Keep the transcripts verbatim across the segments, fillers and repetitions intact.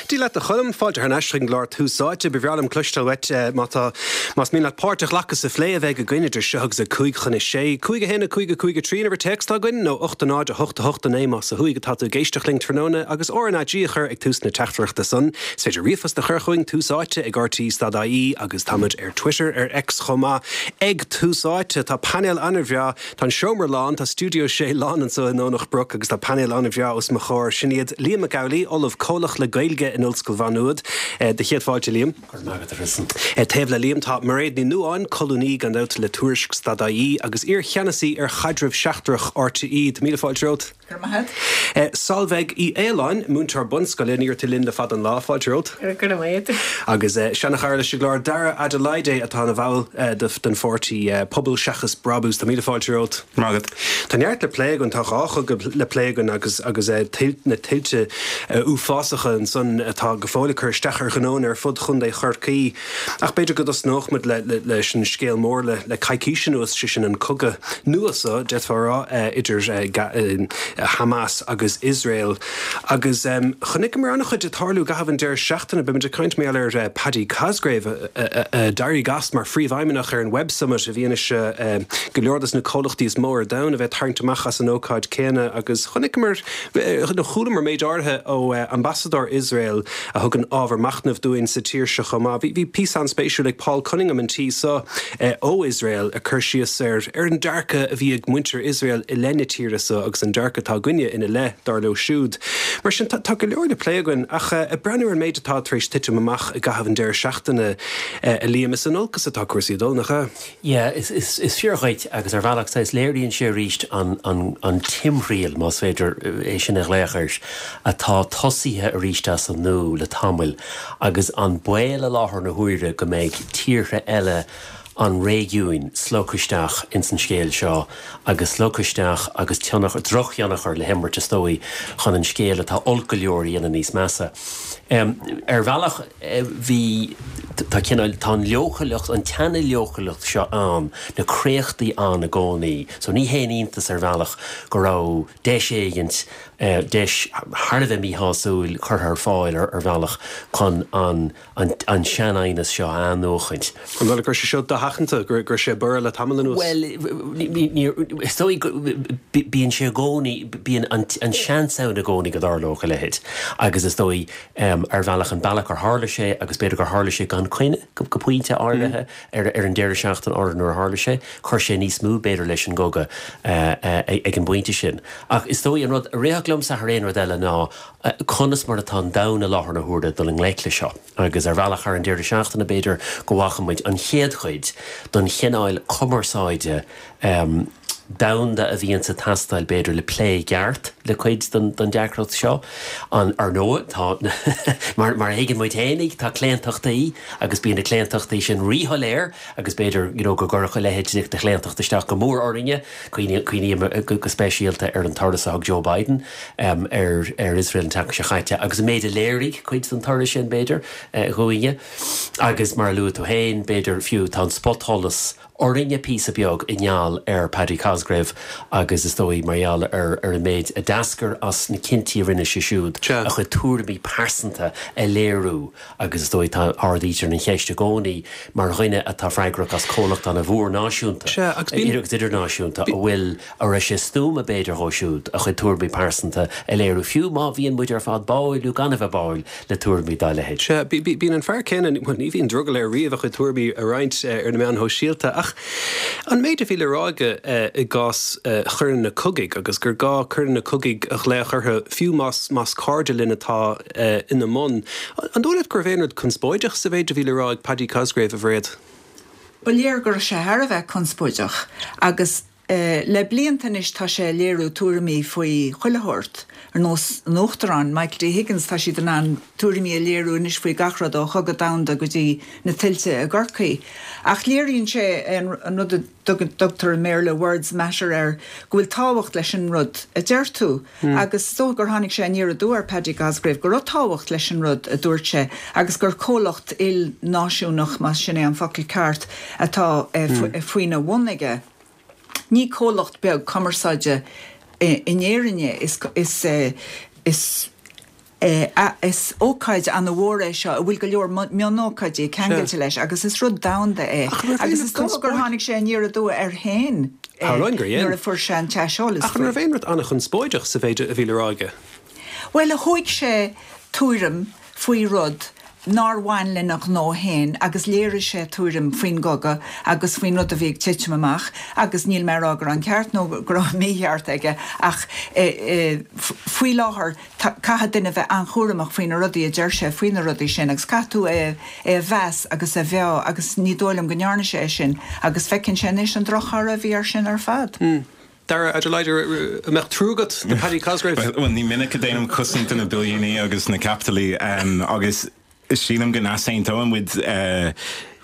Dia leat a Choilm, fáilte thar n-ais chuig an gclár Tús Áite. Ba bhreá liom cloisteáil uait má tá más mian leat páirt a ghlacadh sa phlé a bheidh againn idir seo agus a cúig chun a sé. Cúig a haon a cúig a cúig a trí an uimhir téacs atá againn nó ocht a náid a hocht a hocht a naoi más ó thuaidh atá tú ag éisteacht linn tráthnóna agus R N A G a chur ag tús na teachtaireachta san. Is féidir ríomhphost a chur chugainn Tús Áite ag R T E dot I E agus táimid ar Twitter ar X chomh maith ag Tús Áite. Tá painéal an-bhreá, tá an seomra lán, tá stiúideo sé lán anseo i nDomhnach Broc agus tá painéal an-bhreá os mo chomhair. Sin iad Liam Mac Amhlaigh, Ollamh Comhlach le Gaeilge in Ollscoil Mhá Nuad. Do chéad fáilte Liam. Taobh le Liam tá Mairéad Ní Nuadháin, colúnaí gan dabht le Tuairisc dot I E agus iar-cheannasaí ar chaidreamh seachtrach R T E. Tá míle fáilte romhat. Solveig Uí Fhaoláin, múinteoir bunscoile ní tú linn le fada an lá, fáilte romhat. Go Agus seanchara leis an gclár Dara Adelaide atá ina bhall den pháirtí Pobal Seachas Brabús. Tá míle fáilte romhat. Magat. Tá neart le plé againn, tá dhá chogadh le plé againn agus agus na tuilte uafásacha ansan atá go fóill ag cur isteach ar ghnónna ar fud Chontae Chorcaí. Ach b'fhéidir go dtosnódh muid le, le, leis an scéal mór le, le coicís anuas, sé sin an cogadh nua so d'fhéadfá a rá idir Hamas agus Iosrael. Agus um, chonaiceamar an-chuid ag tarlú i gcaitheamh an deireadh seachtaine, beimid ag caint mé ar uh, Paddy Cosgrave a d'éirigh as mar phríomhfheidhmeannach ar an Web Summit i bhfianaise go leor des na comhlachtaí is mó ar domhan a bheith tarraingt amach as an ócáid céanna agus chonaiceamar chualamar méid áirithe ó ambasadóir Iosrael a thugann ábhar machnaimh dúinn sa tír seo chomh maith. Bhí píosa an-spéisiúil ag Paul Cunningham an tí seo ó Iosrael a chur síos ar ar an dearcadh a bhí ag muintir Iosrael i leith na tíre seo agus an dearcadh atá againne ina leith dar leo siúd. Mar sin tá go leor le plé againn ach ag breathnú ar an méid atá tar éis titim amach i gcaitheamh an deireadh seachtaine a Liam, is in olcas atá cúrsaí ag dul nach ea? Yeah, is, is, is fíor dhuit agus ar bhealach is léiríonn sé arís an, an, an timthriall más féidir é sin a ghlaoch air atá tosaithe arís as an nua le tamall agus an baol i láthair na huaire go mbeidh tíortha eile an réigiúin slogtha isteach ins an scéal seo agus slogtha isteach agus tionchar drochthionchar le himirt is dóigh chun an scéal atá olc go leor a dhéanamh níos measa. Um, ar bhealach bhí tá cineál tá an leochaileacht an tseana-leochaileacht seo ann na créachtaí ann i gcónaí, so ní haon iontas ar bhealach go raibh deis éigint uh, deis thar a bheith míshásúil curtha ar fáil ar, ar bhealach chun an, an, an sean-aighneas seo a athnuachaint. An bhfuil gur sé seo dosheachanta gur gur sé bur le tamall anuas? Well is dóigh bíonn sé i gcónaí bíonn an, an seans ann i gcónaí go dtarlódh a leithéid agus is dóigh um, ar bhealach an bealach ar tharla sé agus b'fhéidir gur tharla sé gan coinne go, go pointe áirithe mm. ar, ar an deireadh seachtaine áirithe nuair a tharla sé, chuir sé níos mó b'fhéidir leis an gcogadh uh, uh, ag an bpointe sin. Ach is dóigh an rud a rithfeadh liomsa thar aon rud eile ná uh, conas mar atá an domhan i láthair na huaire dul i ngleic le seo. Agus ar bhealach ar an deireadh seachtaine b'fhéidir go bhfaca muid an chéad chuid den chineál cumarsáide um, domhanda a bhíonn ag teastáil b'fhéidir le plé ceart le cuid den, den deacracht seo an ar ndóigh tá mar mar thuigeann muid féinig tá claontachtaí agus bíonn na claontachtaí sin ríshoiléir agus b'fhéidir you know, go gcuirfeadh a leithéid de chlaontacht isteach go mór orainne cuimhním go, go speisialta ar an turas a thug Joe Biden um, ar ar Israel an tseachtain seo caite agus an méid a léirigh cuid den turas sin b'fhéidir uh, dhúinne agus mar a luaigh tú féin b'fhéidir fiú tá an spotsholas orainne píosa beag i ngeall ar Paddy Cosgrave agus is dóigh mar gheall ar ar an méid a d'eascair as na cinntí a rinne sé siúd a chuid tuairimí pearsanta a léiriú agus is dóigh tá ardaítear an cheist i gcónaí mar dhuine atá freagrach as comhlacht an-mhór náisiúnta agus idirnáisiúnta a bhfuil a raibh sé stuama b'fhéidir dhó siúd a chuid tuairimí pearsanta a léiriú fiú má bhíonn muid ar fad báúil nó gan a bheith báúil le tuairimí dá leithéid. Bíonn an fear céanna ní bhíonn drogall air riamh a chuid tuairimí a roinnt ar na meáin shóisialta ach an méid a bhí le rá aige i gcás choireanna cogaidh agus gur gá coireanna cogaidh a ghlaoch orthu fiú más más cairde linn atá ina mbun. An dóigh leat go raibh aon rud conspóideach sa mhéid a bhí le rá ag Paddy Cosgrave a Mhairéad? Ba léir go raibh sé thar a bheith conspóideach agus uh, le blianta anois tá sé léiriú tuairimí faoi chuile shórt ar nós an Uachtaráin Michael D. Higgins tá siad in ann tuairimí a léiriú anois faoi gach rud ó chogadh domhanda go dtí na tuilte i gCorcaigh. Ach léiríonn sé an, an rud a dtugtar i mBéarla words matter air go bhfuil tábhacht leis an rud a deir tú. Mm. Agus so gur tháinig sé aniar aduaidh ar Paddy Cosgrave go raibh tábhacht leis an rud a dúirt sé agus gur comhlacht ilnáisiúnach más sin é an focal ceart atá eh, mm. faoina bhun aige. Ní comhlacht beag cumarsáide in Éirinn is is is Is ócáid an-mhór é seo a bhfuil go leor mionócáidí ceangailte leis agus is rud domhanda é. Agus is dócha gur tháinig sé aniar aduaidh air féin nuair a fuair sé an t-aiseolas. Ach an raibh aon rud an-chonspóideach sa mhéid a bhí le rá aige? Bhuel, thóg sé tuairim faoi rud nár bhain lena ghnó féin agus léirigh sé tuairim faoin gcogadh agus faoin rud a bhí ag titim amach agus níl mé ag rá go raibh an ceart nó go raibh an mícheart aige ach faoi láthair caithfidh duine bheith an-chúramach faoi na rudaí a deir sé faoi na rudaí sin agus caithfidh tú é a mheas agus a mheá agus ní dóigh liom go ndearna sé é sin agus feiceann sé anois an drochthoradh a bhí air sin ar fad. Dara Adelaide, an mbeadh trua agat do Paddy Cosgrave? Well, ní minic a déanaim cosaint do na billiúnaí agus na capitalí agus sílim go n-easaontóidh muid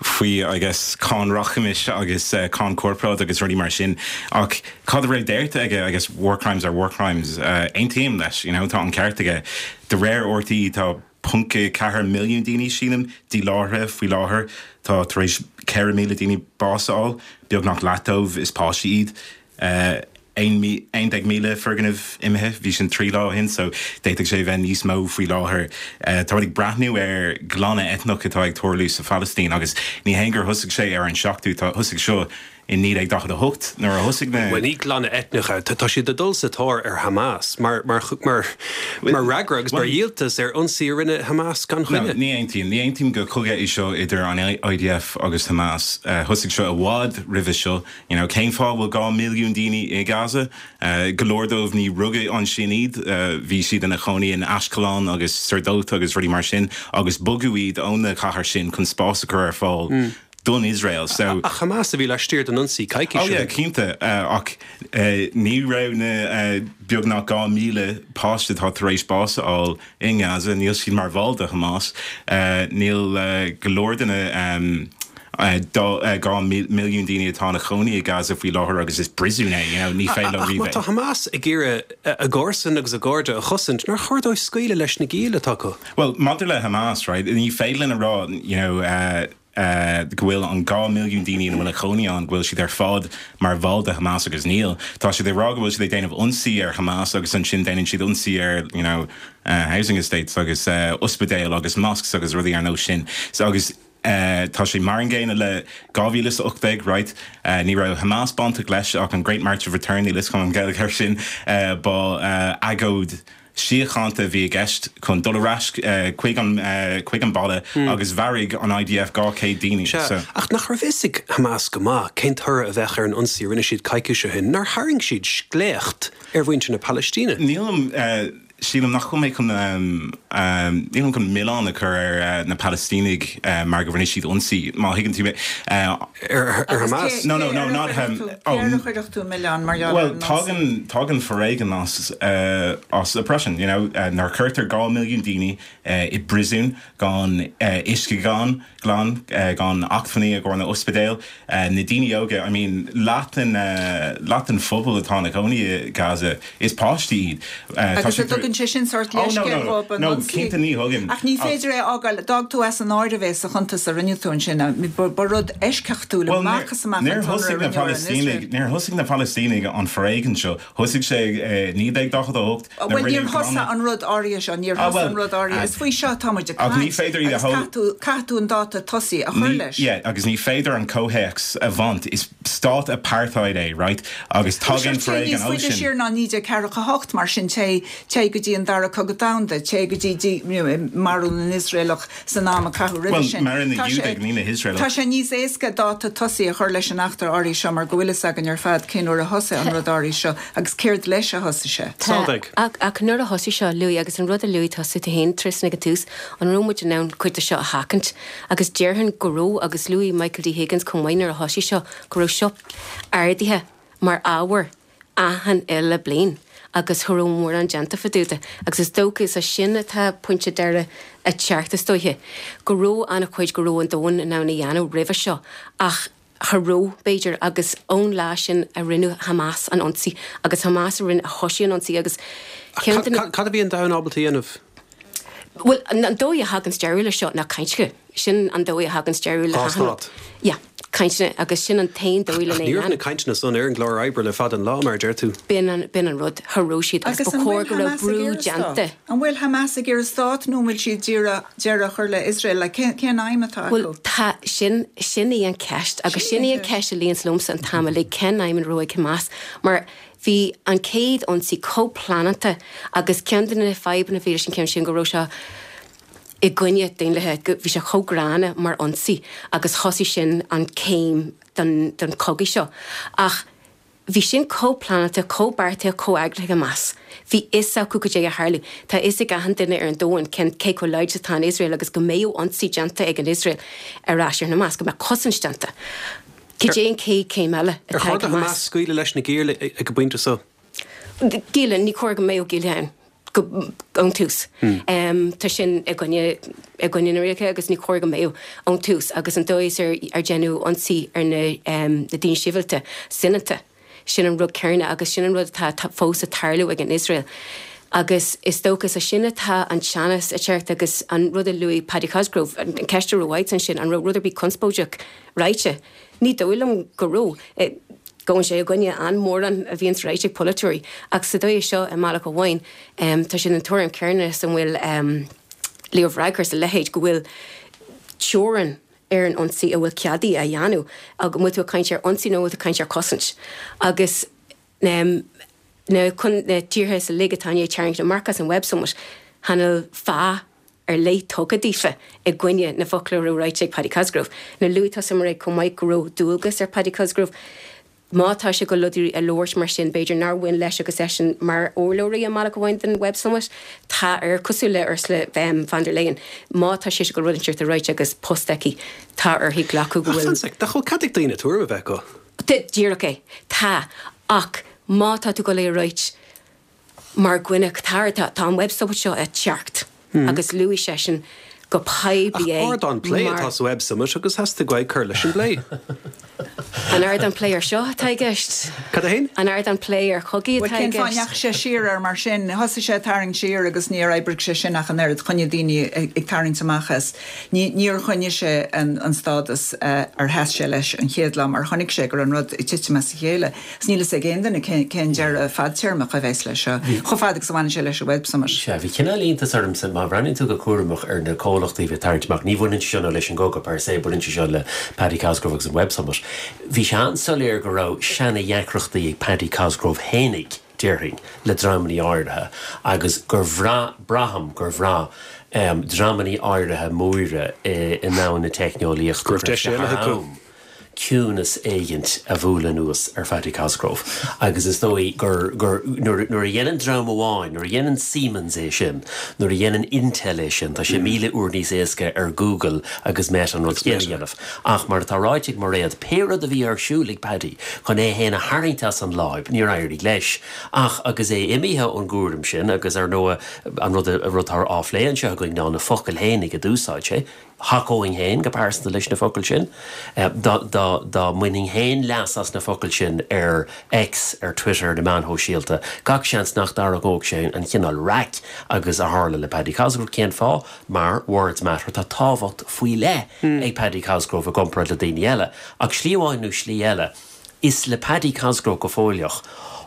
faoi I guess cáin rachmais agus cáin corparáid agus rudaí mar sin ach cad a raibh déarta aige I guess war crimes are war crimes aontaím leis you know tá an ceart aige de réir R T tá ponc ceathair milliún daoine sílim díláithrithe faoi láthair tá tar éis ceithre míle daoine bás a fháil beagnach leath dóibh is páistí iad aon déag míle foirgneamh imithe bhí sin trí lá ó shin so d'fhéadfadh sé bheith níos mó faoi láthair. Tá ag breathnú ar glanadh eitneach atá ag tarlú sa Phalaistín agus ní haon gur thosaigh sé ar an seachtú tá thosaigh seo in naoi déag daichead a hocht nuair a thosaigh na. Bhuel ní glanadh eitneach é, tá siad ag dul sa tóir ar Hamas mar mar mar mar fhreagra agus mar dhíoltas ar ionsaí a rinne Hamas gan choinne. Ní aontaím, ní aontaím go cogadh é seo idir an I D F agus Hamas. Thosaigh seo i bhfad roimhe seo. You know, cén fáth bhfuil dhá milliún daoine i Gaza? Go leor dóibh ní rugadh ansin iad, bhí siad ina chónaí in Ashkelon agus Sderot agus rudaí mar sin agus bogadh iad ó na cathair sin chun spás a chur ar fáil. Mm. don Israel so ach Hamas a bhí laistiar den ionsaí coicís. Oh yeah, cinnte uh, ach uh, ní raibh na uh, beagnach dhá míle páiste atá tar éis bás a fháil i Gaza, níl siad mar bhall de Hamas, uh, níl uh, go leor de na um, dhá milliún daoine atá ina chónaí i Gaza faoi láthair agus is príosún é you know, ní féidir leo. Tá Hamas ag iarraidh a gcomharsain agus a gcairde a chosaint nár chóir dóibh scaoileadh leis na gialla atá acu. Well, maidir le Hamas, right, ní féidir linn a rá you know, uh, Uh, go bhfuil an dhá milliún daoine ina bhfuil a chónaí ann go bhfuil siad ar fad mar bhall de Hamas agus níl. Tá siad ag rá go bhfuil siad ag déanamh ionsaí ar Hamas agus ansin déanann siad ionsaí ar you know, uh, housing estates agus uh, ospidéil agus mosques agus rudaí ar nós sin. So, agus Uh, tá sé mar an gcéanna le dhá mhíle ocht déag right uh, ní raibh Hamas bainteach leis ach an Great March of Return ní lios an Gaeilge sin uh, ba uh, agóid síochánta bhí i gceist chun dul ar ais uh, chuig an uh, chuig an baile mm. agus mharaigh an I D F dhá chéad daoine. So. Ach nach raibh fhios ag Hamas go maith cén toradh a bheadh ar an ionsaí rinne siad coicís ó shin, nár tharraing siad sléacht ar mhuintir na Palaistíne. Nílim uh, sílim nach mé chun um, um, nílim chun milleán a chur ar uh, na Palaistínigh uh, mar go rinne siad ionsaí má thuigeann tú uh, ar ar Hamas. No no no not um, oh, tú milleán mar Well tagann tagann foréigean as uh, as oppression you know uh, nuair cuirtear dhá milliún daoine uh, i bpríosún gan uh, uisce gan glan uh, gan acmhainní a go na ospidéil uh, na daoine óga I mean leath den uh, leath den phobal atá ina gcónaí i Gaza is páistí iad. Uh, tugann sé sin sórt leithscéal No cinnte ní thugann. Ach ní féidir é fhágáil d'fhág tú as an áireamh é sa chuntas a rinne tú sin ba rud eisceachtúil amach amach. Níor thosaigh na Palaistínigh níor thosaigh na Palaistínigh an foréigean seo thosaigh sé naoi déag daichead a hocht. Well níor thosaigh an rud áirithe seo níor thosaigh an rud áirithe is faoi seo tá muid ag ní féidir iad a caithfidh tú an dáta tosaigh a chur leis. Yeah, agus ní féidir an comhthéacs a bhaint is stát apartheid é right agus tagann foréigean ó sin. Siar ná naoi déag ceathracha hocht mar sin té té go dtí an dara cogadh domhanda té go dtí marú na nIosraelach san am a caitheadh roimhe sin. Tá sé níos éasca dáta tosaigh a chur leis an eachtra áirithe seo mar go bhfuil fhios againn ar fad cén uair a thosaigh an rud áirithe seo agus céard leis a thosaigh sé. Ach nuair a thosaigh seo luaigh agus an rud a luaigh tusa féin Tristan ag an tús an raibh muid in ann cuid de seo a sheachaint agus déarfainn go raibh agus luaigh Michael D Higgins chomh maith nuair a thosaigh seo go raibh seo ardaithe mar ábhar achan uile bliain agus cha raibh mórán déanta fá dtaobh de agus is dócha is sin atá pointe deireadh a teacht is dóiche go raibh an-chuid go raibh an domhan in ann a dhéanamh roimhe seo ach cha raibh b'fhéidir agus ón lá sin a rinne Hamas an ionsaí agus Hamas a rinne a thosaigh an ionsaí agus Cad a bhí an domhan ábalta a dhéanamh? Well an dóigh a thagann deireadh le seo ná cainteacha sin an dóigh a thagann deireadh le stát. Ja, Cainteanna agus sin an t-aon dóigh lena Ní raibh na cainteanna san ar an gclár oibre le fada an lá, mar a deir tú. B'in an, b'in an rud, cha raibh siad agus Agus ba an chóir bhfuil go raibh Hamas ag brú iarraidh stát? déanta. An bhfuil Hamas ag iarraidh stát nó an bhfuil siad d'iarraidh deireadh a chur le Iosrael? Like, cén, cén aidhm atá Bhuel, acu? tá, sin, sin í an ceist agus Sin sin í í an an ceist a luíonns liomsa an t-am uilig, cén aidhm a raibh ag Hamas? Mar bhí an chéad ionsaí chomh pleanáilte agus ceann de na fadhbanna a bhí leis an ceann sin go raibh sé i gcoinne daonlathais, go bhí sé chomh gránna mar ionsaí agus thosaigh sin an céim don, don chogadh seo. Ach bhí sin chomh pleanáilte, chomh beartaithe, chomh eagraithe Hamas. Bhí fhios acu cad é a tharlú. Tá fhios ag achan duine ar an domhan cén cé chomh láidir atá an Iosrael agus go mbeadh ionsaí déanta ag an Iosrael ar ais ar Hamas, go mbeadh cosaint déanta. Cad é an chéad chéim eile Ar atá chóir ag do Hamas? Hamas scaoileadh leis na gialla ag an bpointe seo? Gialla, ní chóir go mbeadh gialla ann. Go ón tús. Um, tá sin i gcoinne i gcoinne na rialacha agus ní chóir go mbeadh ón tús agus an dóigh ar ar déanadh ionsaí ar na um, na daoine sibhialta soineanta. Sin an rud céanna agus sin an rud atá tá fós ag tarlú ag an Iosrael. Agus is dócha sa sin atá an teannas ag teacht agus an rud a luaigh Paddy Cosgrove, an an ceist a raibh ansin, an raibh rud ar bith conspóideach ráite. Ní dóigh liom go raibh. Eh, Gabhann sé i gcoinne an-mhórán a bhíonn ráite ag polaiteoirí, ach sa dóigh seo i mbealach amháin, um, tá sin an tuairim chéanna san bhfuil um, Leo Varadkar sa leithéid go bhfuil teorainn ar an ionsaí a bhfuil ceadaithe a dhéanamh agus bhfuil tú ag caint ar ionsaí nó bhfuil tú ag caint ar chosaint. Agus um, na chun na tíortha sa Liga atá ag tarraingt amach as an Web Summit chan fhuil fáth ar leith tugtha daofa i gcoinne na focla a raibh ráite ag Paddy Cosgrove. Na luaigh tusa mar chomh maith go raibh dualgas ar Paddy Cosgrove. Má tá sé go rudaí a labhairt mar sin b'fhéidir nár bhain leis agus eisean mar urlabhraí i mbealach amháin den Web Summit, tá ar cosúil le Ursula um, von der Leyen. Má tá sé go rud inteacht ráite agus post aici tá uirthi glacadh go Ach bhfuil fan sec, nach bhfuil cead ag daoine tuairim a bheith acu? Díreach é tá ach má tá tú go léir ráit mar dhuine tar tá tá an Web Summit seo ag teacht agus luaigh seisean go poiblí é Ardán plé mar- atá sa Web Summit agus theastaigh uaidh cur leis an bplé. An ardán plé ar seo atá i gceist. Cad a haon? An ardán plé ar chogaí Well, atá i cén fáth gceist. ndeachaigh sé siar ar mar sin, thosaigh sé tarraingt siar agus níor oibrigh sé sin ach an oiread choinnigh daoine ag ag tarraingt amach as. Ní níor choinnigh sé an, an stádas uh, ar sheas sé leis an chéad lá mar chonaic sé gur an rud ag titim as a chéile. 'S níl a fhios ag aon duine cén cén deireadh fadtéarmach a bheas leis seo. Chomh fada agus a bhaineann sé leis an Web Summit. Sea, bhí cineál iontas ormsa má bhreathnaíonn tú go cúramach ar na comhlachtaí bhí tarraingt amach, ní bhaineann sé seo leis an gcogadh per se, baineann sé seo le Paddy Cosgrove agus an Web Summit. Bhí sé an-soiléir go raibh seana-dheacrachtaí ag Paddy Cosgrove fhéinig déarfainn le dreamanna áirithe agus gur bhraith braithim gur bhraith um, dreamanna áirithe móra i, i ndomhan na teicneolaíochta Go raibh deis eile acu. ciúnas éigint a bhualadh anuas ar Paddy Cosgrove. Agus is dóigh gur gur nuair nuair a dhéanann dream amháin, nuair a dhéanann Siemens é sin, nuair a dhéanann Intel é sin, tá sé míle uair níos éasca ar Google agus Meta an rud céanna a dhéanamh. Ach mar atá ráite ag Mairéad pé rud a bhí ar siúl ag Paddy chun é féin a tharraingt as an láib, níor éirigh leis. Ach agus é imithe ón gcúram sin agus ar ndóigh an rud a rud atá á phlé anseo againn ná na focail fhéinig a d'úsáid sé. Thacóinn féin go pearsanta leis na focail sin, Eh, dá dá dá mbainfinn féin leas as na focail sin ar X ar Twitter na meáin shóisialta. Gach seans nach dtarraingeodh sé an cineál raic agus a tharla le Paddy Cosgrove cén fáth mar words matter tá tábhacht faoi leith ag Paddy Cosgrove i gcomparáid le daoine eile, ach slí amháin nó slí eile. Is le Paddy Cosgrove go fóilleach.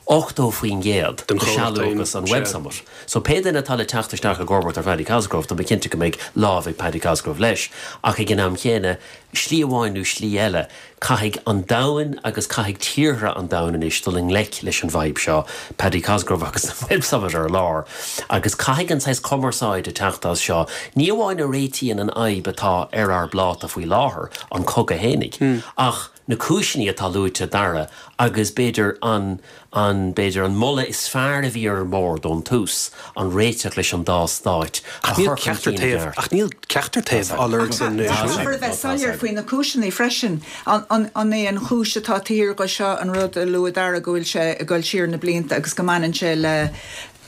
ochtó faoin gcéad Den de chomhlacht sealúchas an féin, Web sea. Summit. So pé duine atá le teacht isteach i gcomharbacht ar Paddy Cosgrove tá mé cinnte go mbeidh lámh ag Paddy Cosgrove leis, ach ag an am chéanna slí amháin nó slí eile, caithfidh an domhan agus caithfidh tíortha an domhain anois dul i ngleic leis an bhfadhb seo Paddy Cosgrove agus an Web Summit ar lár. Agus caithfidh an saghas cumarsáid a teacht as seo, ní amháin a réitíonn an fhadhb atá ar ár bpláta faoi láthair an cogadh fhéinig. Ach na cúiseanna atá luaite Dara agus b'fhéidir an an b'fhéidir an moladh is fearr a bhí ar an mbord ón tús an réiteach leis an dá stáit a Ach níl chur chun ceachtar cinn i taobh gceart. ach níl ceachtar taobh á lorg san Caithfear a bheith soiléir faoi na cúiseanna freisin an an an é an chúis atá tír go seo an rud a luaigh Dara go bhfuil sé ag dul siar na blianta agus go mbaineann sé le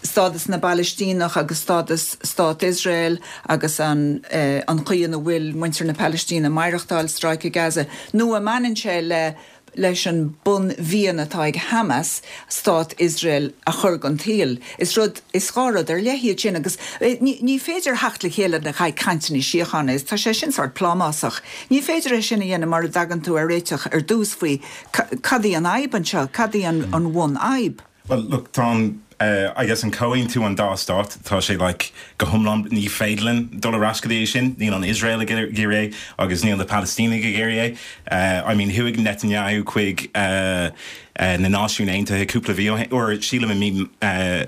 stádas na bPalaistíneach agus stádas stát Iosrael agus an eh, an chaoi ina bhfuil muintir na Palaistíne maireachtáil Stráice Gaza nó an mbaineann sé le leis an bunmhian atá ag Hamas stát Iosrael a chur den tsaol. Is rud is dhá rud ar leith iad sin agus ní ní féidir theacht le chéile le haghaidh cainteanna síochána is tá sé sin sórt plámásach. Ní féidir é sin a dhéanamh mura dtagann tú ar réiteach ar dtús faoi cad í an fhadhb anseo, cad í an an bhunfhadhb. Well, look, tá an uh, I guess an comhaontú an dá stát tá sé like, go hiomlán ní féidir linn dul ar ais go dtí sin, níl an Israel ag iarraidh agus níl na Palestínigh ag iarraidh. Uh, I mean chuaigh Netanyahu chuig uh, uh, na Náisiúin Aontaithe cúpla mhí or sílim mí uh,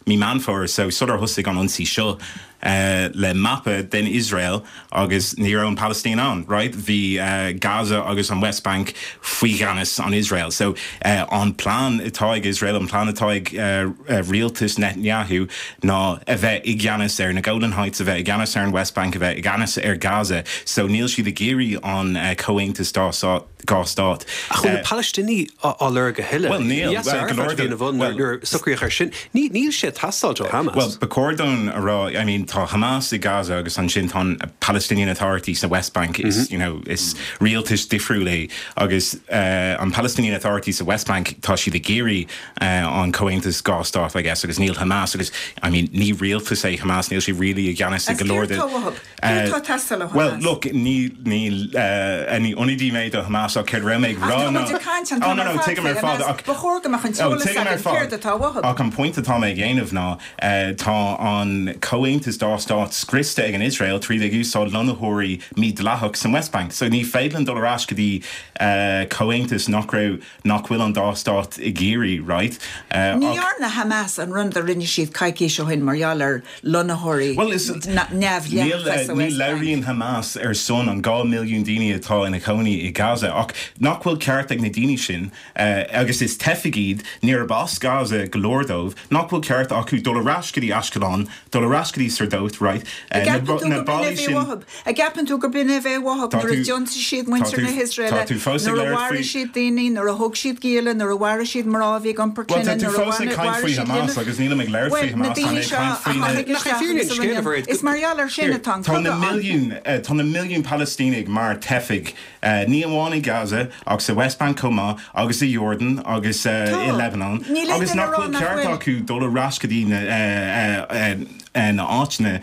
mí Meán Fómhair so sular thosaigh an ionsaí seo uh, le mapa den Israel agus ní raibh an Palestine ann, right? Bhí uh, Gaza agus an West Bank faoi cheannas an Israel. So uh, an plan atá ag Israel an plan atá ag uh, uh, rialtas Netanyahu ná a bheith i gceannas ar na Golan Heights a bheith i gceannas ar an West Bank a bheith i gceannas ar Gaza. So níl siad ag iarraidh an uh, comhaontas dá dhá stát. Ach bhfuil na Palaistínigh á lorg a thuilleadh. Well níl nuair socraíodh ar sin. Níl sé teastáil ó Hamas. Well ba chóir dom a rá I mean tá Hamas i Gaza agus ansin tá Palestinian Authority sa West Bank is mm -hmm. you know is rialtas difriúil é agus uh, an Palestinian Authority sa West Bank tá siad ag iarraidh uh, an comhaontas dhá stát I guess agus níl Hamas agus I mean ní rialtas é Hamas níl sé really i gceannas go leor uh, Well look ní ní uh, ní ionadaí mé do Hamas ach céard mé rá oh, no, no, tuigim ar fad ach an pointe atá mé ag déanamh ná uh, tá an comhaontas dá stát scriosta ag an Israel trí ag úsáid lonnaitheoirí mídhleathach san West Bank. So ní féidir linn dul ar ais go dtí uh, comhaontas nach raibh nach bhfuil an dá stát ag iarraidh, right? Uh, ní dhearna Hamas an rud a rinne siad coicís ó shin mar gheall ar lonnaitheoirí neamhdhleathacha. Ní labhraíonn Hamas ar son an dhá milliún daoine atá ina gcónaí i Gaza ach nach bhfuil ceart ag na daoine sin uh, agus is teifigh iad níorbh as Gaza go leor dóibh, nach bhfuil ceart acu dul ar ais go dtí Ashkelon, dul ar ais go dtí Sdot, right? Uh, na ballaí sin An gceapann tú gurb in é a bhí uathu nuair a d'ionsaigh siad muintir na hIosraeile nuair a mharaigh siad daoine, nuair a thóg siad gialla, nuair a mharaigh siad mná a bhí ag iompar clainne, nuair a mharaigh siad Hamas agus nílim ag labhairt faoi Hamas tá mé ag caint faoi na Is mar gheall air sin atá an Tá na cogadh ann. milliún tá na milliún Palaistínigh mar teifigh ní amháin i Gaza ach sa West Bank chomh maith agus i Jordan agus i Lebanon agus nach bhfuil ceart acu dul ar ais go dtí na na áiteanna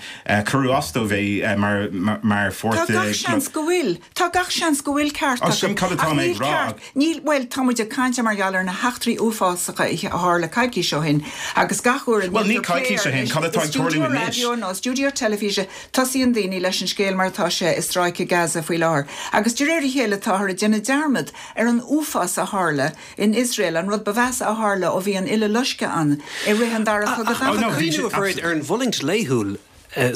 cuireadh as dóibh é mar mar Tá gach seans go bhfuil. Tá gach seans go bhfuil ceart acu. Sin cad atá mé ag rá. Níl bhuel tá muid ag caint mar gheall ar na heachtraí uafásacha a tharla coicís ó shin agus gach uair a Well ní coicís ó shin, cad atá ag tarlú anois? Raidió nó stiúideo teilifíse tosaíonn daoine leis an scéal mar atá sé i Stráice Gaza faoi láthair. Agus de réir a chéile táthar ag déanamh dearmad ar an uafás a tharla in Iosrael, an rud ba mheasa a tharla ó bhí an Uileloisceadh ann i rith an Dara Cogadh Domhanda. Ach cuimhniú a ar an bhfulaingt laethúil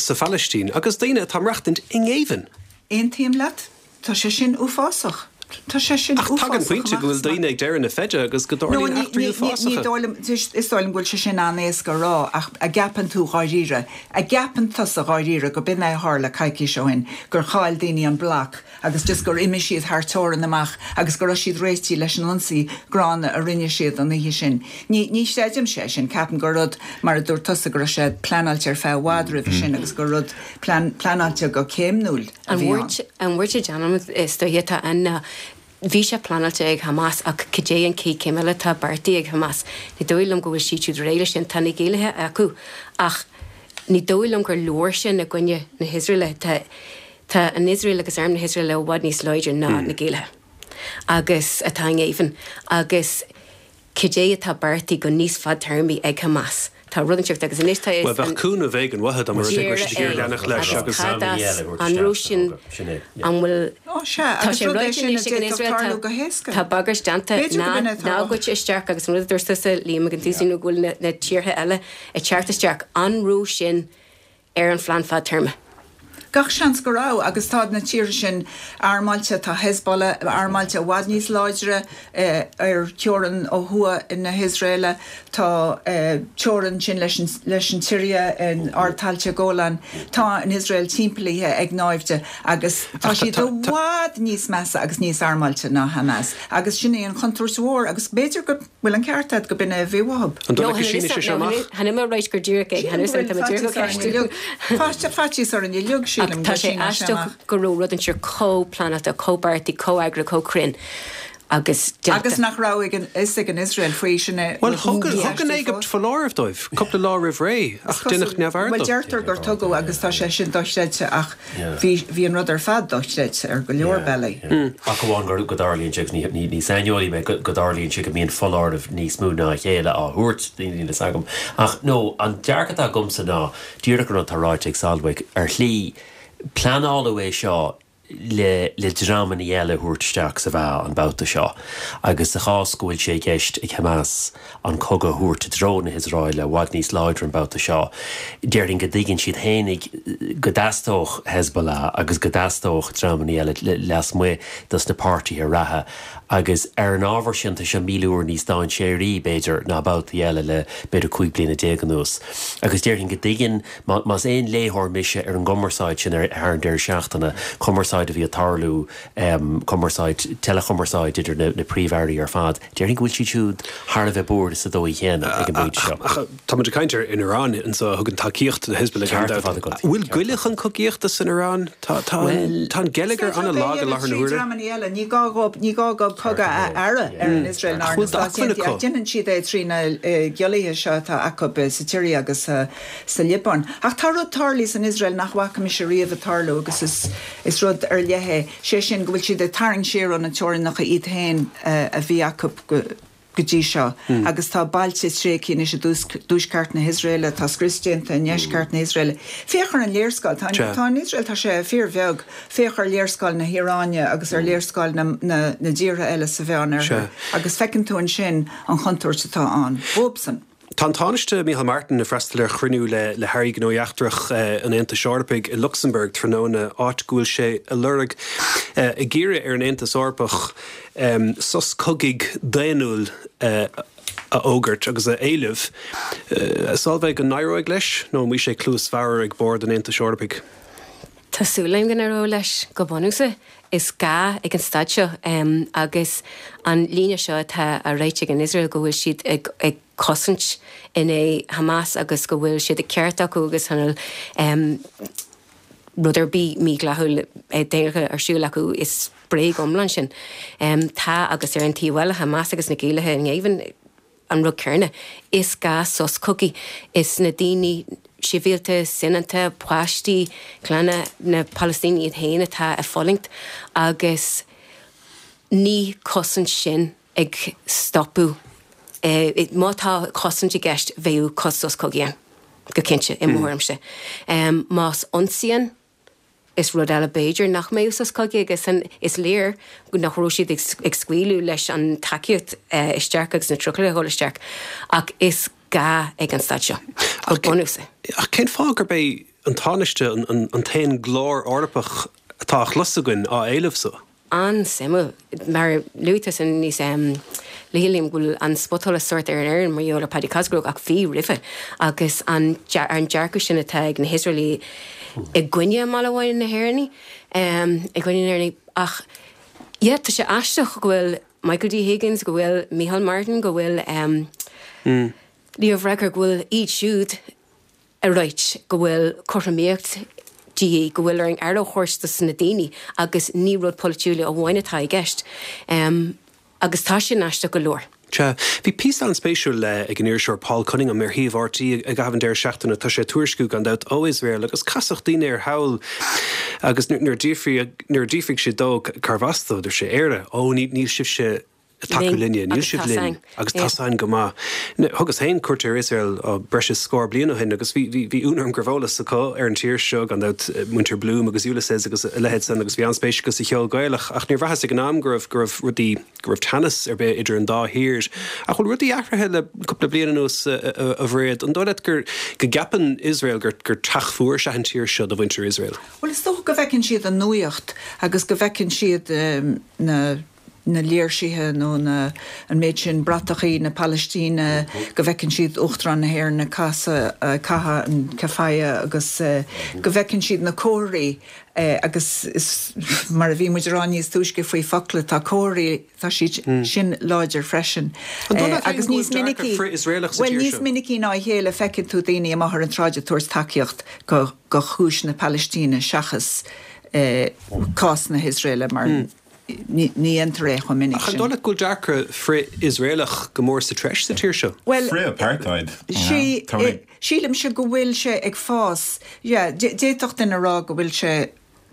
sa Phalaistín agus daoine atá ag maireachtaint i ngéibheann. Aontaím leat, tá sé sin uafásach. Tá sé sin Ach tagann uafásach pointe go bhfuil amach. daoine ag deireadh na feide agus go No, dtarlaíonn ní- eachtraí ní- ní- ní uafásacha. dóigh liom- is dóigh liom go bhfuil sé sin an-éasca a rá ach an gceapann tú dháiríre, an gceapann tusa dháiríre go b'in é a tharla coicís ó shin, gur chaill daoine an bloc agus just gur imigh siad thar teorainn amach agus go raibh siad réitithe leis an ionsaí gránna a rinne siad an oíche sin. Ní ní chreidim sé sin, ceapaim gur rud mar a dúirt tusa go raibh sé pleanáilte ar feadh i bhfad roimhe sin agus gur rud plean pleanáilte go céimniúil a An bhí ann. bhuairt an bhuairt a déanaim is dóiche atá ann ná bhí sé pleanáilte ag Hamas ach cad é an chéad chéim eile atá beartaithe ag Hamas. Ní dóigh liom go bhfuil siad siúd réidh leis sin tá na géillithe acu ach ní dóigh liom gur leor sin i gcoinne na hIosraeile tá tá an Iosrael agus arm na hIosraeile i bhfad níos láidre ná na géillithe. Agus atá i ngéibheann agus cad é atá beartaithe go níos fadtéarmaí ag Hamas. Tá rud inteacht agus anois tá Well bheadh cúnamh éigin uathu dá mba rud é go raibh siad ag iarraidh leanacht leis agus Cad as an raibh sin an bhfuil Ó sea, Tá agus sé rud é ráite sin a anois ag an d'fhéadfadh Iosrael tarlú go héasca. Tá bagairt déanta B'fhéidir go ná b'in é atá ná uathu. goitse isteach agus an rud a dúirt tusa Liam ag an tús nó go bhfuil na, na tíortha eile ag teacht isteach an raibh sin ar an phlean fadtéarma. Gach seans go raibh agus tá na tíortha sin armáilte tá Hezbollah armáilte i bhfad níos láidre eh, ar teorainn ó thuaidh na hIosraeile tá eh, teorainn sin leis an, leis an tSiria in ardtailte Golan tá an Iosrael timpeallaithe ag naimhde agus tá siad i bhfad níos measa agus níos armáilte ná Hamas agus sin é an chontúirt mhór agus b'fhéidir go bhfuil an ceart agat go b'in é a bhí uathu. An dóigh go síneann sé seo amach? Chan mé ag rá gur díreach é chan tá mé díreach á ceistiú. Faitíos orainn uilig sílim Tá sé aisteach go raibh rud inteacht chomh pleanáilte, chomh beartaithe, chomh heagraithe, chomh cruinn. agus Agus nach raibh ag an fhios ag an Iosrael faoi sin é. Bhuel, thug thug an Éigipt foláireamh dóibh cúpla lá roimh ré ach deineadh neamhaird Bhuel, dó. deirtear gur tugadh agus tá sé sin dochreidte ach bhí bhí an rud ar fad dochreidte ar go leor bealaí. Ach amháin gur go dtarlaíonn sé agus ní ní ní saineolaí mé go go dtarlaíonn sé go mbíonn foláireamh níos mó ná a chéile á thabhairt daoine níl a fhios agam. Ach no, an dearcadh atá agamsa ná díreach an rud atá ráite ag Solveig ar shlí pleanáladh é seo le le dreamanna eile a thabhairt isteach sa mheá an babhta seo. Agus sa chás go bhfuil sé i gceist ag Hamas an cogadh a thabhairt i dtreo na hIosraeile i bhfad níos láidre an babhta seo. Déarfainn go dtuigeann siad fhéinig go dteastódh Hezbollah agus go dteastódh dreamanna eile lasmuigh dos na páirtithe reatha. Agus ar an ábhar sin tá sé míle uair níos dainséaraí b'fhéidir ná babhtaí eile le b'fhéidir cúig bliana déag anuas. Agus déarfainn go dtuigeann más aon léitheoir mise ar an gcumarsáid sin ar thar an deireadh seachtaine, cumarsáid a bhí ag tarlú um, cumarsáid teileachumarsáid idir na, na príomh-airí ar fad. Déarfainn go bhfuil siad siúd thar a bheith buartha sa dóigh chéanna ag an bpointe seo. Ach tá muid ag caint ar an Iran anseo a thugann tacaíocht do Hezbollah Ceart ar fad agat. Bhfuil goile chun cogaíochta san Iran? Tá tá tá an geilleagar an-lag i láthair na huaire. Dreamanna eile, ní gá dhóibh ní gá dhóibh cogadh a fhearadh ar an Iosrael ná ar Ach na bhfuil d'acmhainn Stáit Aontaithe, acu? ach déanann siad é trí na giollaithe seo atá acu sa tSiria agus sa Liobáin. Ach tá rud tarlaithe san Iosrael nach bhfaca mise riamh ag tarlú agus is, is rud ar leith é. sé sin go bhfuil siad ag tarraingt siar ó na teorainneacha iad féin a bhí acu go go dtí seo. Agus tá bailte tréigthe anois i dtuaisceart na hIosraeile, tá scrios déanta i ndeisceart na hIosraeile. Féach ar an léarscáil, tá tá an Iosrael tá sé fíorbheag, féach ar léarscáil na hIaráine agus ar léarscáil na, na, na dtíortha eile sa Mheánoirthear. Agus feiceann tú ansin an chontúirt atá ann. Dóibhsan. Tá an Tánaiste Micheál Martin ag freastal ar chruinniú le le hairí gnóthaí eachtracha an Aontais Eorpaigh i Lucsamburg tráthnóna áit go bhfuil sé ag lorg ag iarraidh ar an Aontas Eorpach um, sos cogaidh daonnúil uh, a fhógairt agus a éileamh. Uh, Solveig an n-éireoidh leis nó an mbeidh sé cluas bhodhar ag bord an Aontais Eorpaigh. Tá súil agam go n-éireoidh leis go bunúsach is gá ag an staid seo um, agus an líne seo atá á ráit ag an Israel go bhfuil siad ag, ag cosaint in aghaidh Hamas agus go bhfuil siad ag ceart acu agus hanil um, rud ar bith mídhleathach déanta ar siúl acu is bréag iomlán sin. Um, tá agus ar an taobh eile Hamas agus na giúdaigh in géibheann an rud céanna. Is gá sos cogaidh is na daoine sibhialta soineanta páistí clanna na Palaistíní iad féin atá ag fulaingt agus ní cosaint sin ag stopadh. E, má tá cosaint i gceist bheadh sos cogaidh go cinnte i mo thuairimse. Um, más ionsaí is rud eile b'fhéidir nach mbeadh sos cogaidh agus an is léir nach raibh siad ag, ag scaoileadh leis an tacaíocht uh, isteach agus na trucailí a dhul isteach ach is gá ag an staid seo. Go bunúsach. Ach cén fáth gurb é an Tánaiste an, an, an t-aon ghlór Eorpach atá á chlos againn á éileamh so? An-suimiúil mar luaigh tusa níos um, léim bhfuil an spotála sort ar an Éirinn mar gheall ar Paddy Cosgrove ach bhí roimhe agus an an dearcadh sin atá ag na hIosraelaigh i gcoinne malamháin na hÉireann um, i gcoinne na hÉireann ach yeah, tá sé aisteach go bhfuil Michael D. Higgins go bhfuil Micheál Martin go bhfuil um, mm. Leo Varadkar go bhfuil iad siúd ag ráit go bhfuil cothromaíocht de go bhfuil ar an aire a thabhairt dos na daoine agus ní rud polaitiúil amháin atá i gceist. Um, agus tá sin aisteach go leor. Sea, bhí píosa an-spéisiúil le ag an iriseoir Paul Cunningham ar shuíomh RTÉ i gcaitheamh an deireadh seachtaine tá sé ag tuairisciú gan dabht ó Iosrael agus casadh daoine ar thall agus nuair nuair a d'fhiafraigh sé dó cárbh as dó dúirt sé Éire ó ní níl sibhse tacú linne, níl sibh linn agus tá go maith. Thugas féin cuairt ar Iosrael breis is scór bliain ó shin agus bhí bhí ionadh orm go raibh eolas acu ar an tír seo gan dabht muintir Bloom agus Ulysses agus a leithéid san agus bhí an-spéis acu sa cheol Gaelach ach níor bhraitheas ag an am go raibh go raibh rudaí go raibh teannas ar bith idir an dá thír. Ach bhfuil rudaí athraithe le cúpla bliain anuas a Mhairéad an dóigh leat gur go gceapann Iosrael gur gur teach fuar is ea an tír seo do mhuintir Iosrael. Well is dócha go bhfeiceann siad an nuacht agus go bhfeiceann siad um, na na léirsithe nó na an méid sin bratachaí na Palaistíne go bhfeiceann siad Uachtarán na hÉireann ag caitheamh an keffiyeh agus uh, go bhfeiceann siad na comharthaí uh, agus is mar a bhí muid ag rá níos túisce faoi focla tá comharthaí tá siad mm. sin láidir freisin. Uh, agus níos minicí well níos minicí ná a chéile feiceann tú daoine amach ar an tsráid ag tabhairt tacaíocht go go chúis na Palaistíne seachas uh, cás na hIosraeile mar mm. ní dhéantar é chomh minic Ach an sin. dóigh leat go bhfuil dearcadh frith-Iosraelach go mór sa treis sa tír seo? Well, Frith-apartheid. Sí, sílimse go bhfuil sé ag fás. Yeah, d'fhéadfadh duine a rá go bhfuil sé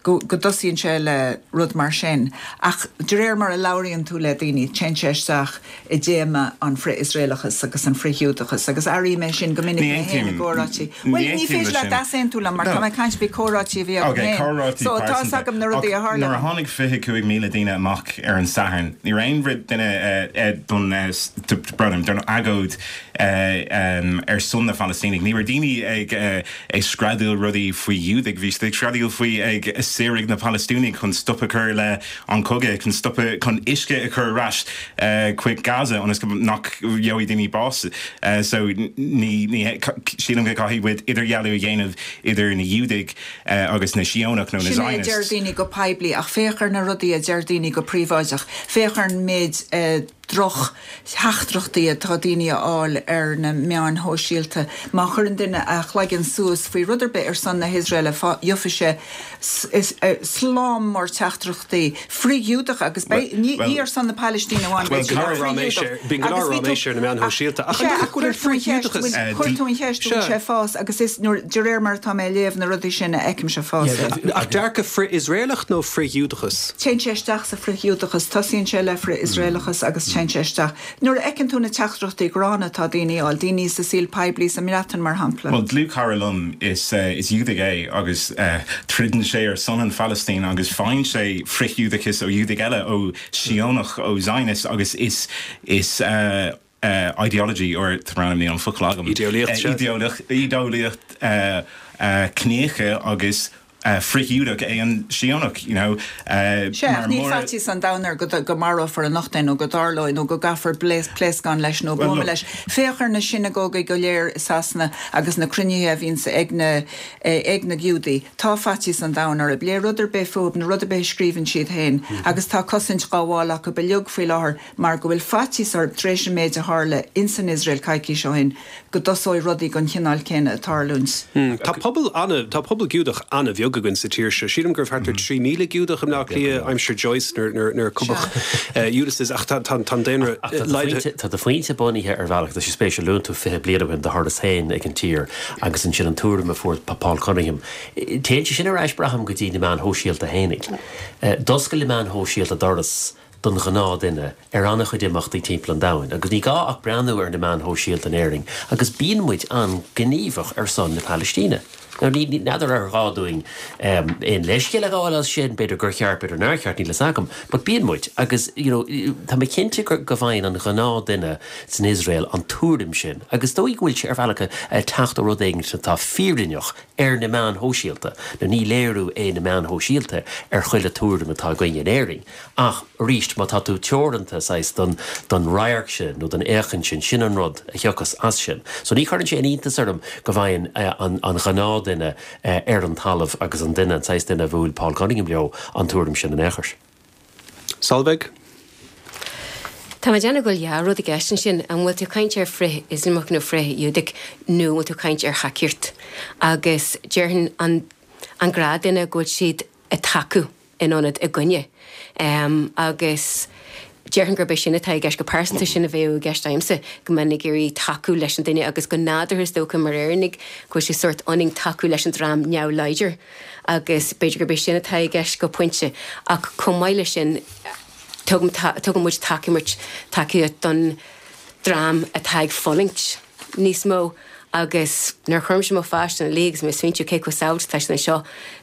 go go dtosaíonn sé le rud mar sin. Ach de réir mar a labhraíonn tú le daoine, téann sé isteach i dtéama an frith-Iosraelachas agus an frith-Ghiúdachas, agus airím é sin go minic Ní mé féin i aontaím- gcomhráití. ní Well, ní aontaím féidir le leat sin. easaontú liom mar No. tá mé ag caint faoi chomhráití a bhí agam Okay, féin. comhráití So tá pearsanta. agam na rudaí a Ach tharla. Nuair a tháinig fiche cúig míle daoine amach ar an Satharn, ní raibh aon rud duine eh, eh, don eh, s- t- brother, don agóid eh, um, ar son na Phalaistínigh. Ní raibh daoine ag eh, ag screadaíl rudaí faoi Ghiúdaigh, bhí siad ag screadaíl faoi ag saoradh na Palaistínigh chun stop a chur le an cogadh chun stop chun uisce a chur ar ais eh, chuig Gaza ionas go nach gheobhaidh daoine bás. Eh, so ní ní sílim go gcaithfidh muid idirdhealú a dhéanamh idir na Giúdaigh eh, agus na Síónach nó na Sin é deir Zionists. daoine go poiblí ach féach ar na rudaí a deir daoine go príobháideach. Féach ar an méid eh, droch theachtaireachtaí atá daoine a fháil ar na meáin shóisialta. Má chuireann duine a chloigeann suas faoi rud ar bith ar son na hIosraeile gheobhaidh sé s- is, eh, slám mór teachtaireachtaí frith-Ghiúdach agus beidh- ní well- ní ar son na Palaistíne amháin Well, beidh siad cara frith-Ghiúdach. ráiméis bíonn go leor Agus bhí tú- ráiméis ar na meáin shóisialta. Ach Sea, an dóigh ach go bhfuil chuir tú an cheist- frith-Ghiúdachas? bhfuil- chuir tú an cheist Sea. bhfuil sé fás agus is nuair de réir mar tá mé ag léamh na rudaí sin a fheicimse fás. é. Ach dearcadh frith-Iosraelach nó frith-Ghiúdachas? Téann sé isteach sa frith-Ghiúdachas, tosaíonn sé le frith-Iosraelachas agus téann sé isteach. Nuair a fheiceann tú na teachtaireachtaí gránna atá daoine á fháil, daoine sa saol poiblí sa mBreatain mar shampla. Well dlúthchara liom is uh, is Giúdach é agus uh, troideann sé ar son an Phalaistín agus faigheann sé frith-Ghiúdachas ó Ghiúdaigh eile ó Síónach ó Zionist agus is is uh, uh, ideology or ní an focal agam. Idéolaíocht, Uh, sea. idéolaíocht idéolaíocht uh, uh, ciníoch agus uh, frith-Ghiúdach é an Síónach, you know, uh, Se mar ní mór- faitíos an domhain air go go marófar anocht é nó go dtarlóidh nó go gcaithfear pléascán leis nó Well, buama look- leis. Féach ar na sinagógaí go léir i Sasana agus na cruinnithe a bhíonn ag na eh, ag na Giúdaigh. Tá faitíos an domhain orthu le rud ar bith fúthu na rud ar bith a scríobhann siad féin, agus tá cosaint á fáil acu beag faoi láthair mar go bhfuil faitíos orthu tar éis an méid a tharla in san Iosrael coicís ó shin go dtosóidh rudaí den chineál céanna ag tarlúint. Hmm, Tá pobal an tá pobal Giúdach an-bheag againn sa tír seo. Sílim gur thart ar trí míle Giúdach i mBleá Cliath aimsir Joyce nuair nuair nuair cumadh Ulysses ach tá tá tá daonra Ach tá do phointe- Tá do phointe bunaithe ar bhealach tá sé spéisiúil luann tú fiche bliain ó shin do tharla féin ag an tír agus ansin an tuairim a fuair Paul Cunningham. Téann sé sin ar ais braithim go dtí na meáin shóisialta féinig. D'oscail na meáin shóisialta doras don ghnáthdhuine ar an-chuid imeachtaí timpeall an domhain, agus ní gá ach breathnú ar na meáin shóisialta in Éirinn, agus bíonn muid an-ghníomhach ar son na Palaistíne. Now, ní n'fheadar ar ghá dúinn um, aon leithscéal a ghabháil as sin b'fhéidir gur cheart b'fhéidir nár cheart níl a fhios agam, but bíonn muid agus you know, tá mé cinnte gur go bhfaigheann an ghnáthdhuine san Iosrael an tuairim sin, agus dóigh go bhfuil sé ar bhealach ag teacht ó rud éigin atá fírinneach ar na meáin shóisialta, nó ní léiriú é na meáin shóisialta ar chuile tuairim atá againn in Éirinn. Ach arís má tá tú teoranta saghas don don radharc sin nó don fhéachaint sin sin an rud a thiocfas as sin. So ní chuireann sé an iontas orm go bhfaigheann eh, an, an ghnáthdhuine eh, ar an talamh agus an duine an saghas duine a bhfuil Paul Cunningham leo an tuairim sin in échar. Solveig? Tá mé déanamh go bhfuil dhá rud i gceist ansin an bhfuil tú ag caint ar frith-Ioslamach nó frith-Ghiúdach nó bhfuil tú ag caint ar thacaíocht. Agus déarfainn an, an gnáthdhuine go bhfuil siad ag tacú in ionad i gcoinne. Um, agus déarfainn gurb é sin atá i gceist go pearsanta sin a bheadh i gceist agamsa go mbeinn ag iarraidh tacú leis an duine agus go nádúrtha is dócha mar Éireannaigh go bhfuil sé sórt ionainn tacú leis an dream neamhláidir agus b'fhéidir gurb é sin atá i gceist go pointe ach chomh maith leis sin tugaim ta- tugann muid tacaíocht tacaíocht don dream atá ag fulaingt níos mó agus nuair a chuirimse mo pháiste ina luí agus mé ag smaointiú cé chomh sábháilte atá siad anseo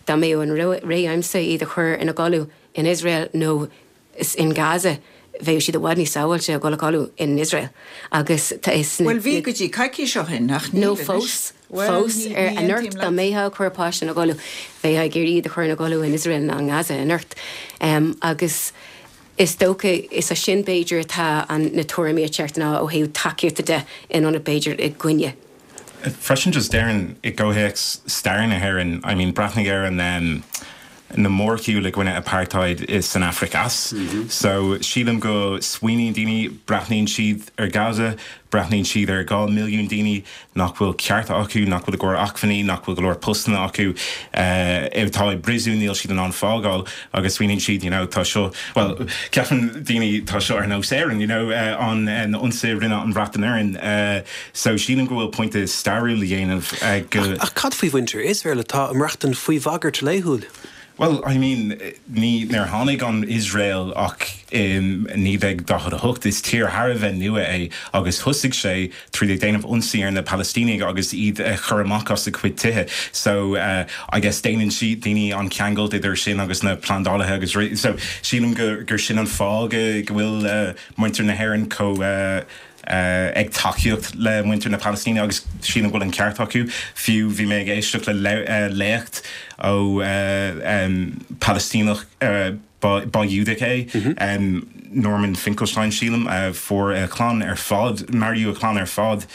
dá mbeadh an rogha agamsa iad a chur ina gcodladh in Israel nó is in Gaza bheadh siad i bhfad níos sábháilte ag dul a chodladh in Israel agus tá is Well bhí go dtí coicís ó shin ach nó níl anois. fós Well, fós ní- ar ní anocht aontaím dá leat. mbeifeá ag cur páiste ina gcodladh bheifeá ag iarraidh iad a chur ina gcodladh in Israel ná in Gaza anocht um, agus is dócha is a sin b'fhéidir atá an na tuairimí ceart ná ó thaobh tacaíochta de in ionad b'fhéidir i gcoinne. Freisin just déarfainn i gcomhthéacs stair na hÉireann I mean breathnaigh ar an um, na mórshiúil i gcoinne apartheid san Afraic Theas. So sílim go smaoiníonn daoine breathnaíonn siad ar Gaza, breathnaíonn siad ar dhá milliún daoine nach bhfuil cearta acu, nach bhfuil go leor acmhainní, nach bhfuil go leor postanna acu, atá i bpríosún níl siad in ann fágáil agus smaoiníonn siad you know tá seo well ceapann daoine tá seo ar nós Éirinn you know an na ionsaí a rinne an Bhreatain orainn so sílim go bhfuil pointe stairiúil a dhéanamh go Ach cad faoi mhuintir Iosrael atá ag maireachtáil faoi bhagairt laethúil? Well, I mean, ní níor tháinig an Iosrael ach in naoi déag daichead a hocht is tír thar a bheith nua é agus thosaigh sé tríd ag déanamh ionsaí ar na Palaistínigh agus iad a chur amach as a gcuid tithe. So uh, I guess déanann si daoine an ceangal idir sin agus na plandálaithe agus so sílim gur, gur sin an fáth go go bhfuil uh, muintir na hÉireann chomh uh, Uh, ag tacaíocht le muintir na Palaistíne agus sílim go bhfuil an ceart acu fiú bhí mé ag éisteacht le uh, léacht ó uh, um, Palaistíneach uh, ba Giúdach é mm -hmm. um, Norman Finkelstein sílim uh, fuair a chlann ar fad maraíodh a chlann ar fad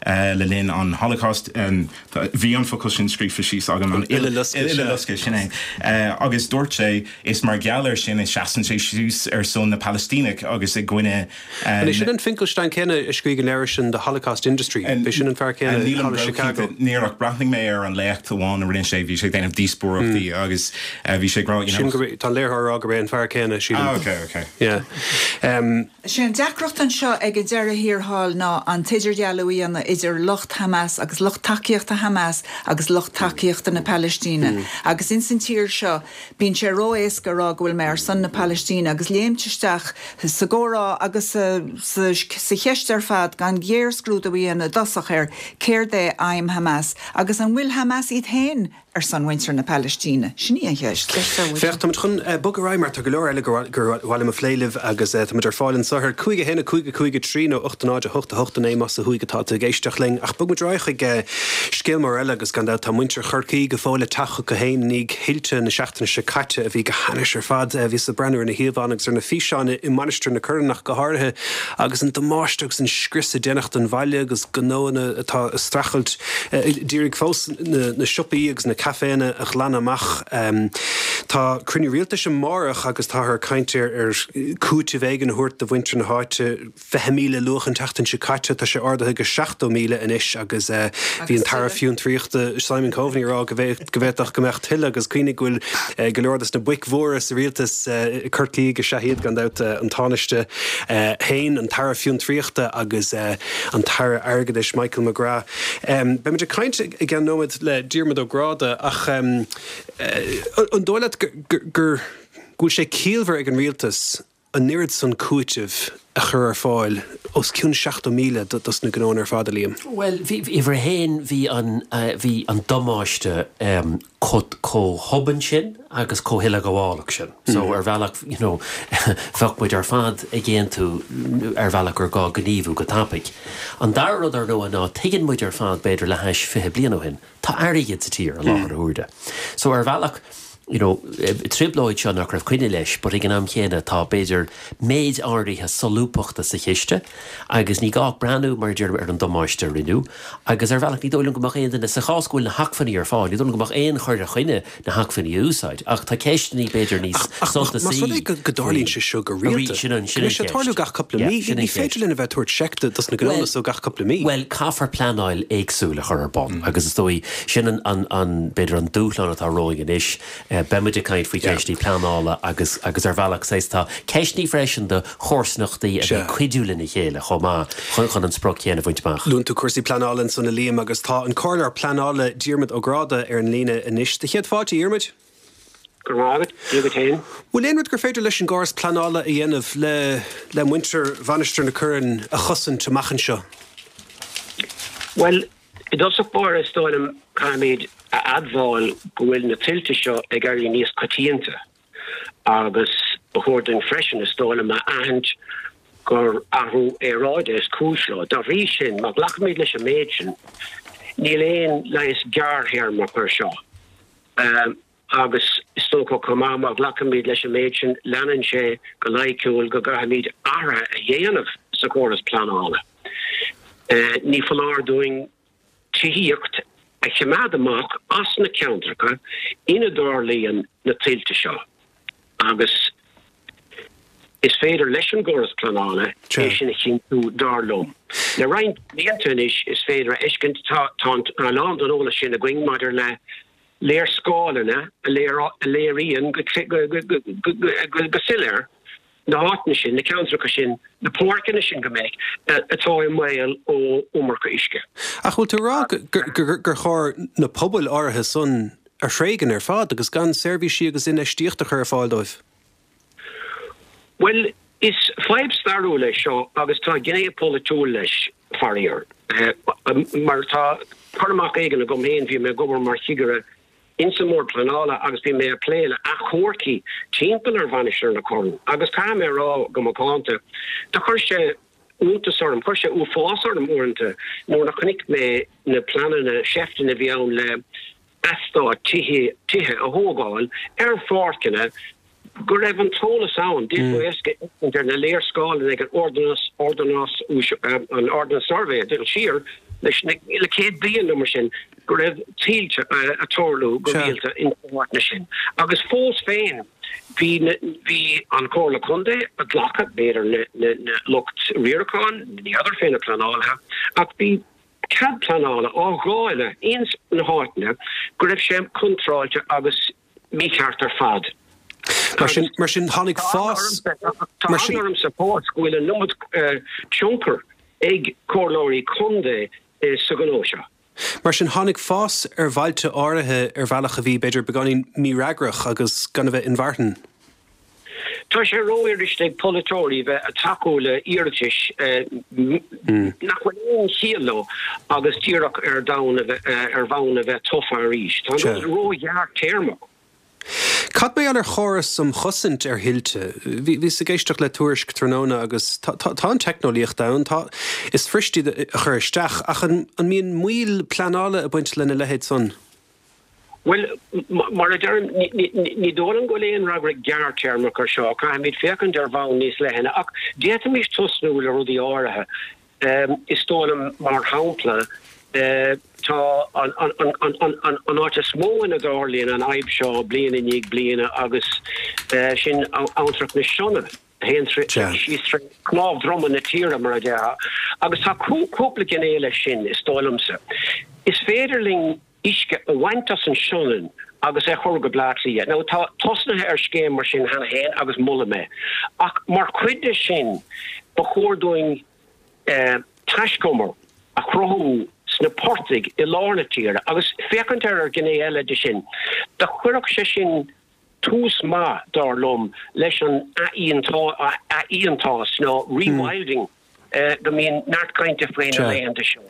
uh, le linn an Holocaust um, bhí an focal sin scríofa síos agam an Uileloscadh sin é uh, agus dúirt sé is mar gheall air sin is seasann sé suas ar son na Palaistínach agus i gcoinne uh, sin an Finkelstein céanna a scríobh an leabhar sin the Holocaust Industry B'é sin an fear céanna Chicago Níor ach breathnaigh mé ar an léacht amháin a rinne sé bhí sé déanamh díospóireachtaí mm. agus bhí sé ag rá Tá léirthir go an fear céanna sí ah, okay, okay. Yeah. Um, Sé an deacracht anseo ag an deireadh thiar thall ná an t-idirdhealú a dhéanamh idir lucht Hamas agus lucht tacaíochta Hamas agus lucht tacaíochta na Palaistíne. Mm. Agus ins an tír seo bíonn sé ró-éasca rá go bhfuil mé ar son na Palaistíne agus léimt isteach sa gcomhrá agus sa, sa, sa cheist ar fad gan géarscrúdú a dhéanamh i dtosach ar céard é aidhm Hamas agus an bhfuil Hamas iad féin ar son mhuintir na Palaistíne. Sin í an cheist. Féach táimid chun bogadh ar aghaidh mar tá go leor eile gur mhaith liom a phlé libh agus táimid ar fáil anseo ar cúig a haon cúig a cúig a trí nó ocht náid a hocht a hocht a naoi más ó thuaidh atá tú ag éisteacht linn ach bogfaimid ar aghaidh chuig scéal mór eile agus gan dabht tá muintir Chorcaí go fóill ag teacht chucu féin i ndiaidh thuilte na seachtaine seo caite a bhí go hainnis ar fad. Bhíos ag breathnú ar na híomhánna agus ar na físeáin i Mainistir na Corann ach go háirithe agus an damáiste agus an scrios a déanadh don bhaile agus gnóanna atá ag streachailt díreach fós na, na siopaí agus na caiféanna a ghlanadh amach. Tá cruinniú rialtais amárach agus táthar ag caint ar ar cúiteamh éigin a thabhairt do mhuintir na háite fiche míle luach an tseachtain seo caite tá sé ardaithe go seachtó míle anois agus bhí an tAire Fiontraíochta Simon Coveney ag rá go bhféadfadh go mbeadh tuilleadh agus cuimhnigh go bhfuil go leor des na boic mhóra sa rialtas Corcaigh is ea iad gan dabht an Tánaiste féin an tAire Fiontraíochta agus an tAire Airgeadais Michael McGrath. Beimid ag caint i gceann nóiméad le Diarmuid Ó Gráda ach an dóigh leat gur go bhfuil sé ciallmhar ag an rialtas an oiread san cúitimh a chur ar fáil os cionn seachtó míle dos na gnóanna ar fad a Liam? Well, bhí uimhir a haon bhí an bhí an damáiste chomh hobann sin agus chomh huileghabhálach sin. So ar bhealach you know, bheadh muid ar fad ag aontú ar bhealach gur gá gníomhú go tapaidh. An dara rud ar ndóigh ná tuigeann muid ar fad b'fhéidir le hais fiche bliain ó shin, tá airgead sa tír i láthair na huaire. So ar bhealach you know, trioblóid seo nach raibh coinne leis, but ag an am chéanna tá b'fhéidir méid áirithe solúbthachta sa chiste agus ní gá breathnú mar deir ar an damáiste a rinneadh agus ar bhealach ní dóigh liom go mbeadh aon duine sa chás go bhfuil na hacmhainní ar fáil, ní dóigh liom go mbeadh aon chur i gcoinne na hacmhainní a úsáid ach tá ceisteanna b'fhéidir níos suntasaí. Más rud é go dtarlaíonn sé seo go rialta, go mbeidh sé ag tarlú gach cúpla mí, ní féidir linn a bheith ag tabhairt seic dos na gnónna so gach cúpla mí. Well, caithfear pleanáil éagsúil a chur ar bun agus is dóigh sin an, an, an, b'fhéidir an dúshlán atá romhainn anois. Beimid ag caint faoi cheisteanna pleanála agus agus ar bhealach saghas tá ceisteanna freisin do chomharsanachtaí a bheith ag cuidiú lena chéile chomh maith chun chun an sprioc chéanna a bhaint amach. Luann tú cúrsaí pleanála ansan a Liam agus tá an Comhairleoir Pleanála Diarmuid Ó Gráda ar an líne anois. Do chéad fáilte, a Dhiarmuid. Go raibh maith agat, Dia duit féin. Bhfuil aon rud gur féidir leis an gcóras pleanála a dhéanamh le le muintir Mhainistir na Corann a chosaint amach anseo? Bhuel, i dtosach báire is dóigh liom caithfimid a admháil go bhfuil na tuilte seo ag éirí níos coitianta agus ba chóir dúinn freisin, is dóigh liom, a aithint gur athrú aeráide is cúis leo. Dá bhrí sin, má ghlacaimid leis an méid sin, níl aon leigheas gearrthéarmach air seo. Agus is dócha chomh maith, má ghlacaimid leis an méid sin, leanann sé go loighciúil go gcaithfimid athruithe a dhéanamh sa chóras pleanála. Ní foláir dúinn tithíocht a choimeád amach as na ceantracha ina dtarlaíonn na tuilte seo agus is féidir leis an gcóras pleanála é sin a chinntiú dar liom. Le roinnt blianta anois is féidir a fheiscint tá a lán den eolas sin againn maidir le léarscáileanna a léiríonn go soiléir na háiteanna sin, na ceantracha sin, na páirceanna sin go minic, atá i mbaol ó iomarca uisce. Ach bhfuil tú ag rá gur chóir na pobail áirithe san a thréigean ar fad agus gan seirbhísí agus infheistíocht a chur ar fáil dóibh? Bhuel, is fadhb stairiúil é seo agus tá gné polaitiúil leis, faraor. Mar tá cur amach éigin agam féin, bhí mé ag obair mar chigire insa mBord Pleanála agus bhí mé ag plé le achomharcaí timpeall ar Mhainistir na Corann agus caithfidh mé a rá go macánta, do chuir sé iontas orm, chuir sé uafás orm uaireanta nuair a chonaic mé na pleananna seifteanna a bhí ann le eastáit tithe a thógáil ar pháirceanna go raibh an t-eolas ann, d'fhéadfá éasca a fheiscint ar na léarscáileanna ag an Ordnance an Ordnance Survey ag dul siar leis na le céad bliain nó mar sin go raibh tuilte ag tarlú go rialta ins na háiteanna sin. Agus fós féin bhí bhí an Chomhairle Contae ag glacadh, b'fhéidir na na na lucht riaracháin, ní fheadar fé na pleanálaithe, ach bhí cead pleanála á dháileadh ins na háiteanna go raibh sé contráilte agus mícheart ar fad. Mar sin, mar sin tháinig fás. Tá eagla ormsa fós go bhfuil an iomad tionchar ag comhairleoirí contae sa ghnó seo. Mar sin tháinig fás ar bhailte áirithe ar bhealach a bhí, b'fhéidir, beagáinín mífhreagrach agus gan a bheith inmharthana. Tá sé rófhuirist ag polaiteoirí bheith ag tacú le hiarratais nach bhfuil aon chiall leo agus díreach ar ar bhonn a bheith tofa arís. Tá an rud róghearrthéarmach. Cad mar gheall ar chóras um chosaint ar thuilte? Bhíos ag éisteacht le tuairisc tráthnóna agus tá an teicneolaíocht ann, tá, is fuirist iad a chur isteach, ach an mbíonn moill pleanála ag baint lena leithéid san? Bhuel, mar a deirim, ní dóigh liom go bhfuil aon fhreagra gearrthéarmach ar seo. Caithfimid féachaint ar bhonn níos leithne, ach d'fhéadfaimis tosnú le rudaí áirithe. Is dóigh liom, mar shampla, tá an áit is mó ina dtarlaíonn an fhadhb seo bliain i ndiaidh bliana agus sin Abhantrach na Sionainne, a théann síos tré chnámh droma na tíre, mar a déarfá. Agus tá cúpla gné leis sin, is dóigh liomsa. Is féidir linn uisce a bhaint as an Sionainn agus é a chur go Bleá Cliath. Now tá tosnaithe ar scéim mar sin cheana féin agus molaim é. Ach mar chuid de sin ba chóir dúinn taiscumar a chruthú sna portaigh i lár na tíre agus féachaint ar ar ghné eile de sin. Do chuirfeadh sé sin tús maith, dar liom, leis an athfhiántas nó rewilding go mbíonn neart cainte faoi na laethanta seo.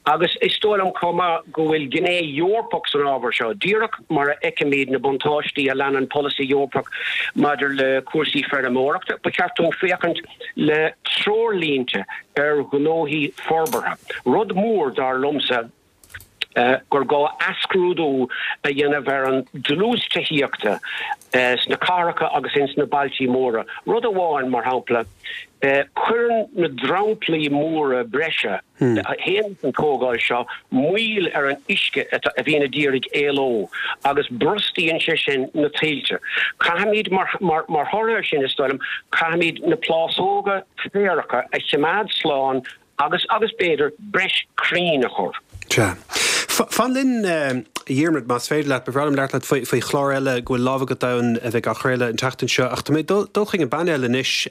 Agus is dóigh liom chomh maith go bhfuil gné Eorpach san ábhar seo, díreach mar a fheicimid na buntáistí a leanann polasaí Eorpach maidir le cúrsaí feirmeoireachta, ba cheart dúinn féachaint le treoirlínte ar ghnóthaí forbartha. Rud mór, dar liomsa, gur gá athscrúdú a dhéanamh ar an dlús tithíochta sna cathracha agus ins na bailtí móra. Rud amháin, mar shampla, cuireann na dromchlaí móra breise a théann leis an tógáil seo moill ar an uisce a bhíonn a d'iarraidh éaló agus brostaíonn sé sin na tuilte. Caithfimid, mar thoradh air sin, is dóigh liom, caithfimid na plásóga féaracha a choimeád slán Agus, agus b'fhéidir, breis crainn a chur. Sea. Fan linn, a Dhiarmaid, más féidir leat. Ba bhreá liom labhairt leat faoi, faoi chlár eile go bhfuil lámh agat ann a bheidh á chraoladh an tseachtain seo. Ach tá mé ag dul, dul chuig an bpainéal anois.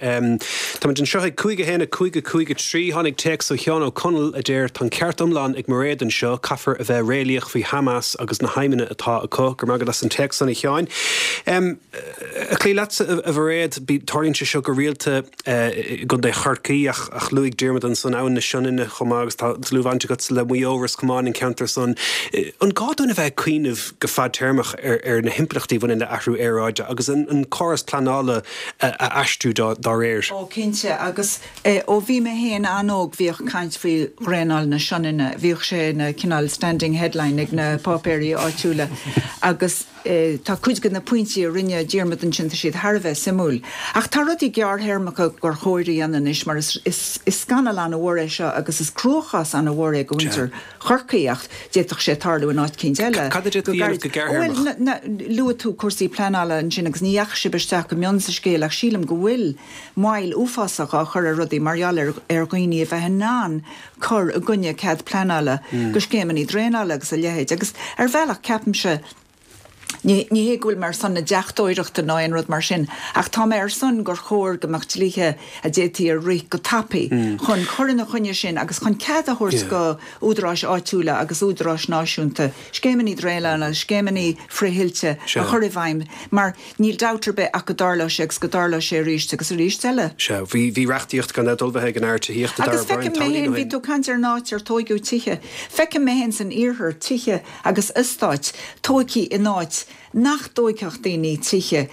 Táimid anseo ag cúig a haon a cúig a cúig a trí. Tháinig téacs ó Sheán Ó Conaill a deir, Tá an ceart iomlán ag Mairéad anseo. Caithfear a bheith réalaíoch faoi Hamas agus na haidhmeanna atá acu. Go raibh maith agat as an téacs san, a Sheáin. Ag cloí leatsa, a Mhairéad, tarlaíonn sé seo go rialta. i gContae Chorcaí ach luaigh Diarmuid ansan Abhainn na Sionainne chomh maith agus tá dlúthbhaint agatsa le Maigh Eo, Ros Comáin, an ceantar san. An gá dúinn a bheith ag cuimhneamh go fadtéarmach ar na himpleachtaí a bhaineann le athrú aeráide agus an córas pleanála a aistriú dá réir? Ó cinnte, agus ó bhí mé féin an-óg bhíodh caint faoi dhraenáil na Sionainne, bhíodh sé ina cineál standing headline ag na páipéirí áitiúla agus Tá cuid de na pointí a rinne Diarmuid ansin, tá siad thar a bheith suimiúil. Ach tá rudaí gearrthéarmacha gur chóir a dhéanamh anois mar is scannal an-mhór é seo agus is cruachás an-mhór é do mhuintir Chorcaí ach d'fhéadfadh sé tarlú in áit eicínt eile. Cad a d'fhéadfaí a dhéanamh go gearrthéarmach? Bhuel, luaigh tú cúrsaí pleanála ansin agus ní dheachaigh sibh isteach go mion sa scéal ach sílim go bhfuil moill uafásach á chur ar rudaí mar gheall ar dhaoine a bheith in ann cur i gcoinne cead pleanála do scéimeanna draenála agus a leithéid agus ar bhealach ceapaimse Ní hé go bhfuil mé ar son na deachtóireachta ná aon rud mar sin, ach tá mé ar son gur chóir go mbeadh dlíthe a d'fhéadfaí a rith go tapaidh chun cur ina choinne sin agus chun cead a thabhairt go údaráis áitiúla agus údaráis náisiúnta scéimeanna draenála, scéimeanna frith-thuilte a chur i bhfeidhm mar níl dabht ar bith ach go dtarlóidh sé agus go dtarlóidh sé arís agus arís eile. Sea, bhí bhí reachtaíocht gan dabht ullmhaithe ag an Aire Tithíochta Darragh O'Brien Agus feicim mé féin, bhí tú ag caint ar an áit ar tóigeadh tithe, feicim mé féin san iarthar tithe agus eastáit tóigthe in áit nach dtóigfeadh daoine tithe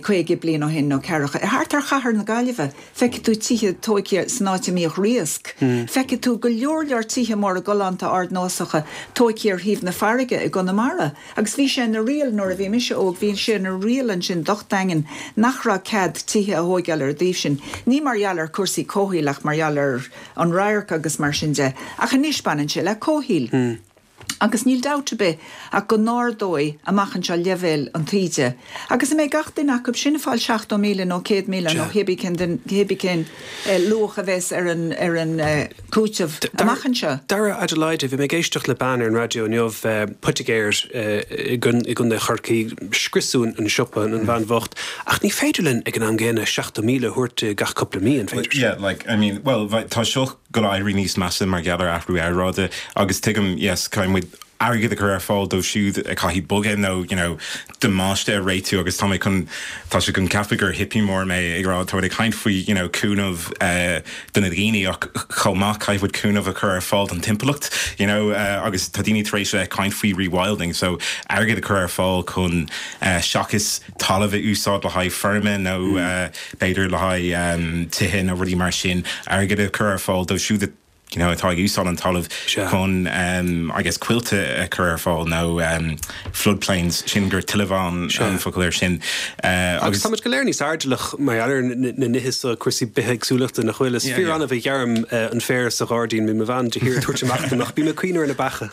caoga bliain ó shin nó ceathracha. Thart ar chathair na Gaillimhe, feicfidh tú tithe tóigthe san áit a mbíodh riasc. Feicfidh tú go leor leor tithe móra galánta ardnósacha tóigthe ar thaobh na farraige i gConamara. Agus bhí sé ina riail nuair a bhí mise óg, bhí sé ina riail ansin docht daingean nach raibh cead tithe a thóigeáil ar an dtaobh sin. Ní mar gheall ar chúrsaí comhshaoil ach mar gheall ar an radharc agus mar sin de. Ach anois baineann sé le comhshaol. Agus níl dabht ar bith ach go n-ardóidh amach anseo leibhéal an taoide. Agus an mbeidh gach duine acu sin ag fáil seachtó míle nó céad míle nó cébí cén cébí cén luach a bheas ar an ar an cúiteamh amach anseo? Dara Adelaide, bhí mé ag éisteacht le bean ar an raidió inniu, poitigéir i gContae Chorcaí, scriosadh an siopa, an bhean bhocht, ach ní féidir linn ag an am gcéanna seachtó míle a thabhairt di gach cúpla mí, an féidir? Yeah, like, I mean, well, tá seo ag dul éirí níos measa mar gheall ar athrú aeráide agus tuigim, yes, caithfidh muid airgead a chur ar fáil dóibh siúd a caithfidh bogadh nó you know damáiste a réitiú agus tá mé chun tá sé chun ceapadh gur hippie mór mé ag rá tá ag caint faoi you know cúnamh uh, do na daoine ach chomh maith caithfidh muid cúnamh a chur ar fáil don timpeallacht you know uh, agus tá daoine tar éis a caint faoi rewilding so airgead a chur ar fáil chun uh, seachas talamh a úsáid le haghaidh feirme nó mm. uh, b'fhéidir le haghaidh um, tithe nó rudaí mar sin airgead a chur ar fáil dóibh siúd you know, atá ag úsáid an talamh chun um, I guess coillte a chur ar fáil nó um, floodplains sin gur tuilemhá an focal air sin. Uh, agus táimid go léir níos airdeallach mar gheall ar na nithe seo cúrsaí bithéagsúlachta nach bhfuil is fíor-annamh a ghearraim uh, an féar sa ghairdín bíonn mo bhean de shíor ag tabhairt amach dom ach bím ag cuimhneamh ar na beacha.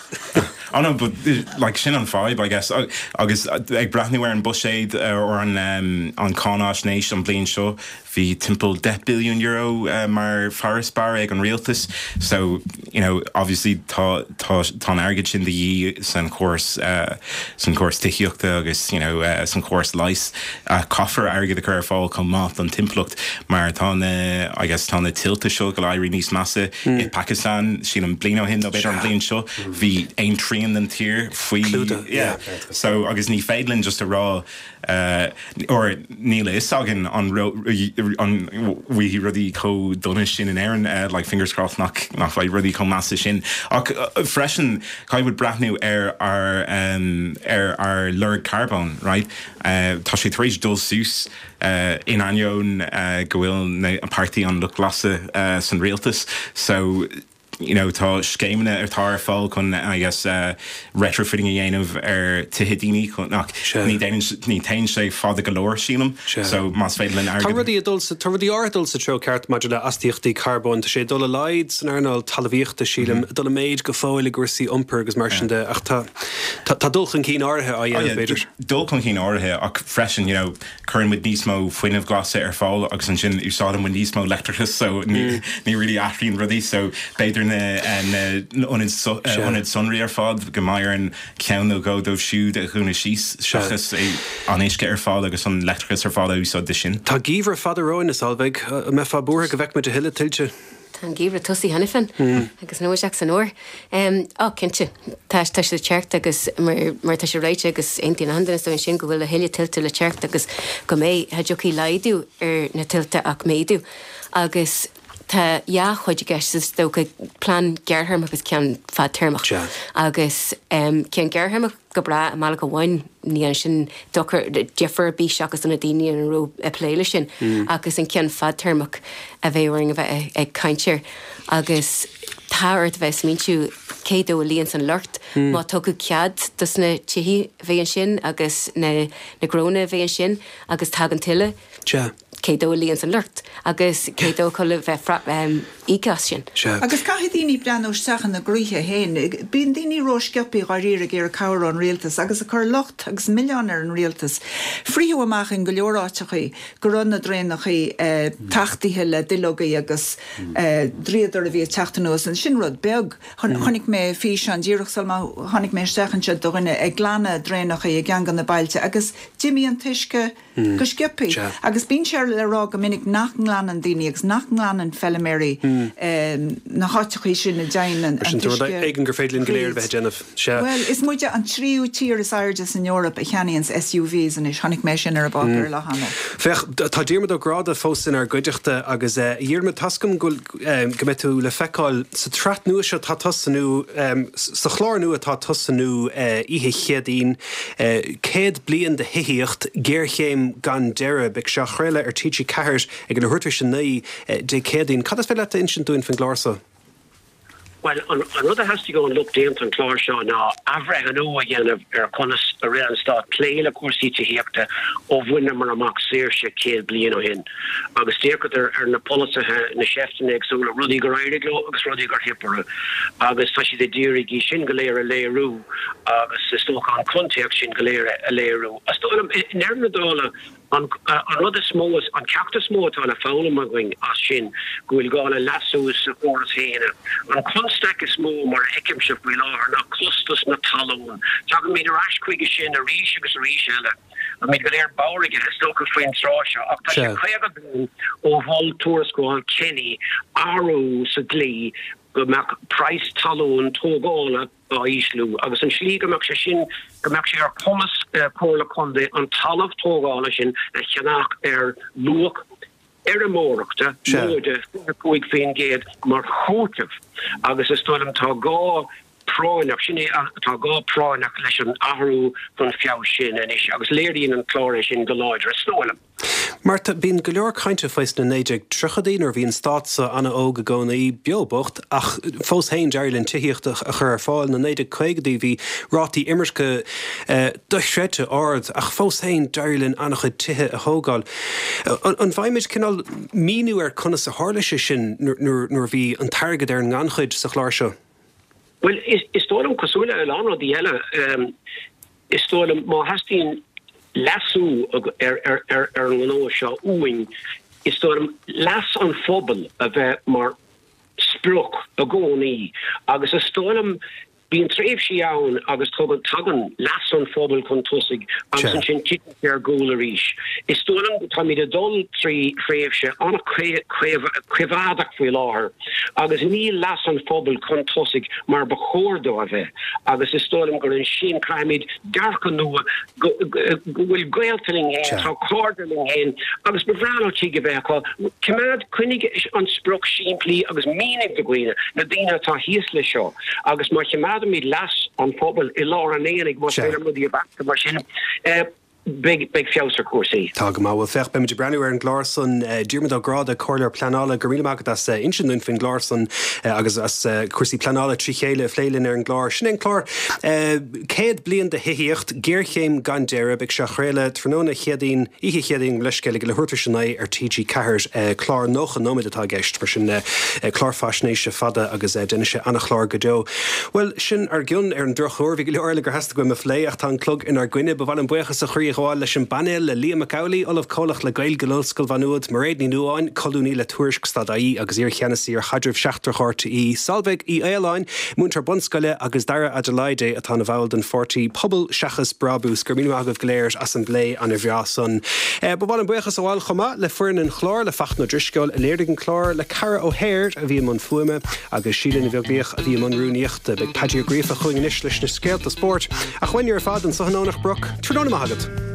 Oh no, but like sin an fadhb I guess agus ag breathnú ar an buiséad or an um, an cáinaisnéis an bliain seo bhí timpeall deich billiún euro uh, mar farasbarr ag an rialtas so you know obviously tá tá tá an airgead sin de dhíth san chóras uh, san chóras tithíochta agus you know uh, san chóras leighis uh, caithfear airgead a chur ar fáil chomh maith don timpeallacht mar tá na I guess tá na tuilte seo ag éirí níos measa mm. i Pakistan sin an bliain ó shin nó b'fhéidir an bliain seo bhí aon trian den tír faoi yeah. so agus ní féidir linn just a rá uh, or níl a fhios againn an an bhfuil rudaí chomh dona sin in Éirinn uh, like fingers crossed nach nach bhfuil rudaí chomh measa sin ach uh, freisin caithfidh muid breathnú ar ar um, ar ar lorg carbón right uh, tá sé tar éis dul suas uh, in ainneoin uh, go bhfuil na an Páirtí an Lucht Glasa uh, san rialtas so you know tá scéimeanna atá ar fáil chun I guess uh, retrofitting a dhéanamh ar tithe daoine chun nach ní ní théann sé fada go leor sílim so más féidir linn Tá rudaí dul tá rudaí áirithe dul sa treo ceart maidir le astaíochtaí carbóin tá sé dul i laghad san earnáil talmhaíochta sílim mm -hmm. dul i méid go fóill i gcúrsaí iompair agus mar sin de ach tá tá dul chun cinn áirithe á dhéanamh b'fhéidir. Dul chun cinn áirithe ach freisin you know cuireann muid níos mó fuinneamh glasa ar fáil agus ansin úsáideann muid níos mó leictreachas so ní ní really athraíonn rudaí so b'fhéidir na ionaid ionaid sonraí ar fad go mbeidh an ceann nó dhó dóibh siúd a dhúnadh síos seachas an uisce ar fáil agus an leictreachas ar fáil a úsáid de sin. Tá geimhreadh fada romhainn is Solveig an mbeifeá buartha go bhfeicfidh muid a thuilleadh tuilte. Tá an geimhreadh tosaithe cheana féin agus níl ach san fhómhar. Á cinnte, tá tá sé le teacht agus mar mar tá sé ráite agus aontaíonn achan duine is sin go bhfuil a thuilleadh tuilte le teacht agus go mbeidh cha dtiocfaidh laghdú ar na tuilte ach méadú agus Tá dhá chuid i gceist is dócha, plean gearrthéarmach agus ceann fadtéarmach. Agus ceann gearrthéarmach go breá i mbealach amháin, ní dhéanann sin dochar, difear ar bith seachas do na daoine a raibh ag plé leis sin. Agus an ceann fadtéarmach a bheidh orainn a bheith ag caint air. Agus tá tá ort bheith smaointiú cé dó a luíonn an locht mm. má tugadh cead dos na tithe bheith ansin agus na na gnónna bheith ansin agus tagann tuile. Sea. Cé dó a luíonn an locht agus cé dó chun bheith um, íoc as sin. Sea. Agus caithfidh daoine breathnú isteach ina gcroíthe féin. Bíonn daoine rósciobtha dháiríre ag iarraidh cabhair ón rialtas agus ag cur locht agus milleán ar an rialtas. Frítheadh amach in go leor áiteachaí go raibh na draenachaí eh, tachtaithe le duilleogaí agus eh, dríodar a bhí ag teacht anuas an sin rud beag. Chon, Chonaic mé físeán díreach sul má tháinig mé isteach anseo do dhuine ag glanadh draenachaí i gceann de na bailte agus d'imigh an t-uisce go sciobtha. Sea. Agus bíonn sé le rá go minic nach nglanann daoine agus nach nglanann feilméaraí na háiteachaí sin a dtéann an Sin rud t-uisce éigin gur féidir linn go léir bheith ag déanamh. Sea. Well, is muide an tríú tír is airde san Eoraip a cheannaíonn SUVs anois chonaic mé sin ar an bpáipéar lá cheana. Féach tá Diarmuid Ó Gráda fós inár gcuideachta agus uh, Dhiarmuid tá a fhios agam go um, go mbeidh tú le feiceáil sa tsraith nua seo tá tosnú um, sa chlár nua tá tosnú uh, oíche Chéadaoin uh, céad bliain de thithíocht géarchéim gan deireadh beidh sé á chraoladh ar TG Ceathair ag an leathuair tar éis a naoi Dé Céadaoin. Cad is féidir leat a insint dúinn faoin gclár seo? Well, an, an rud a theastaigh ón lucht déanta an chlár seo ná athbhreithniú a dhéanamh ar conas a rinne an stát plé le cúrsaí tithíochta ó bhaineamar amach saoirse céad bliain ó shin. Agus d'fhéachadar ar na polasaithe na seifteanna éagsúla rudaí gur éirigh leo agus rudaí gur theip orthu. Agus tá siad ag iarraidh sin go léir a léiriú agus is dócha an context sin go léir a léiriú. Is dóigh liom i ndeireadh na dála an an rud is mó an ceacht is mó atá le foghlaim againn as sin go bhfuil gá le leasú sa chóras féin. An constaic is mó mar a fheicimse faoi láthair ná costas na talún. Tagaimid ar ais chuige sin arís agus arís eile. Táimid go léir bodhar is dócha faoin tráth seo ach tá sé caoga bliain ó mhol tuarascáil Kenny athrú sa dlí go mbeadh praghas talún tógála á ísliú agus an slí go mbeadh sé sin go mbeadh sé ar chumas eh, Comhairle Contae an talamh tógála sin a cheannach ar luach fheirmeoireachta móide cúig faoin gcéad mar chúiteamh agus is dóigh liom tá gá práinneach sin é tá gá práinneach leis an athrú chun feabhais sin anois agus léiríonn an clár é sin go láidir is dóigh liom. Marta bíonn go leor cainte faoi sna naoi déag tríochaidí nuair bhí an stát seo an-óg i gcónaí beo bocht ach fós féin d'éirigh linn tithíocht a chur ar fáil na naoi déag caogaidí bhí rátaí imirce eh, dochreidte ard ach fós féin d'éirigh linn an-chuid tithe a thógáil. An bhfaighimid cineál míniú ar conas a tharla sé sin nuair bhí an t-airgead ar an ngannchuid sa chlár seo. Well is, is dóigh liom cosúil le lán rudaí eile um, is dóigh liom má theastaíonn leasú ar ar ar ar an ngnó seo uainn is dóigh liom leas an phobail a bheith mar sprioc i gcónaí agus is dóigh liom bíonn tréimhsí ann agus tugann tagann leas an phobail chun tosaigh agus ansin titeann sé ar gcúl arís. Is dóigh liom táimid ag dul trí thréimhse an-choimheádach faoi láthair agus níl leas an phobail chun tosaigh mar ba chóir dó a bheith agus is dóigh liom gur ansin caithfimid dearcadh nua go bhfuil gaolta linn féin, tá cairde linn féin agus ba bhreá leo tigh a bheith acu. Coimeád coinnigh an sprioc simplí agus mínigh do dhaoine, na daoine atá thíos leis seo agus má choimeádaimid leas an phobail i lár an aonaigh más féidir rudaí a bheartú mar sin beidh beidh feabhas ar chúrsaí. Tá go maith bhuel féach beimid ag breathnú ar an gclár san Diarmuid Ó Gráda Comhairleoir Pleanála go raibh míle maith agat as insint dúinn faoin gclár san agus as cúrsaí pleanála trí chéile a phlé linn ar an gclár. Sin é an clár céad bliain de thithíocht géarchéim gan deireadh beidh sé á chraoladh tráthnóna Chéadaoin oíche Chéadaoin leithscéal ag leathuair tar éis a naoi ar TG Ceathair clár nócha nóiméad atá i gceist mar sin clár faisnéise fada agus déanfaidh sé an-chlár go deo. Well sin ár gcionn ar an drochuair bhí go leor eile gur theastaigh uaim a phlé ach tá an clog inár gcoinne ba mhaith liom buíochas ó chroí a ghabháil leis an bpainéal le Liam Mac Amhlaigh, Ollamh Comhlach le Gaeilge in Ollscoil Mhá Nuad, Mairéad Ní Nuadháin, colúnaí le Tuairisc.ie agus iarcheannasaí ar chaidreamh seachtrach RTÉ, Solveig Uí Fhaoláin, múinteoir bunscoile agus Dara Adelide atá ina bhall den pháirtí Pobal seachas Brabús gur míle maith agaibh go léir as an bplé an-bhreá san. Ba mhaith liom buíochas a ghabháil chomh maith le foireann an chláir le Fachtna Ó Drisceoil a léirigh an clár le Cara O'Hare a bhí i mbun fuaime agus Síle Ní Bheaglaoich a bhí i mbun rúnaíochta beidh Paddy Ó Gríofa chugainn anois leis na scéalta spóirt ach uainne ar fad anseo in Domhnach Broc, tráthnóna maith agat.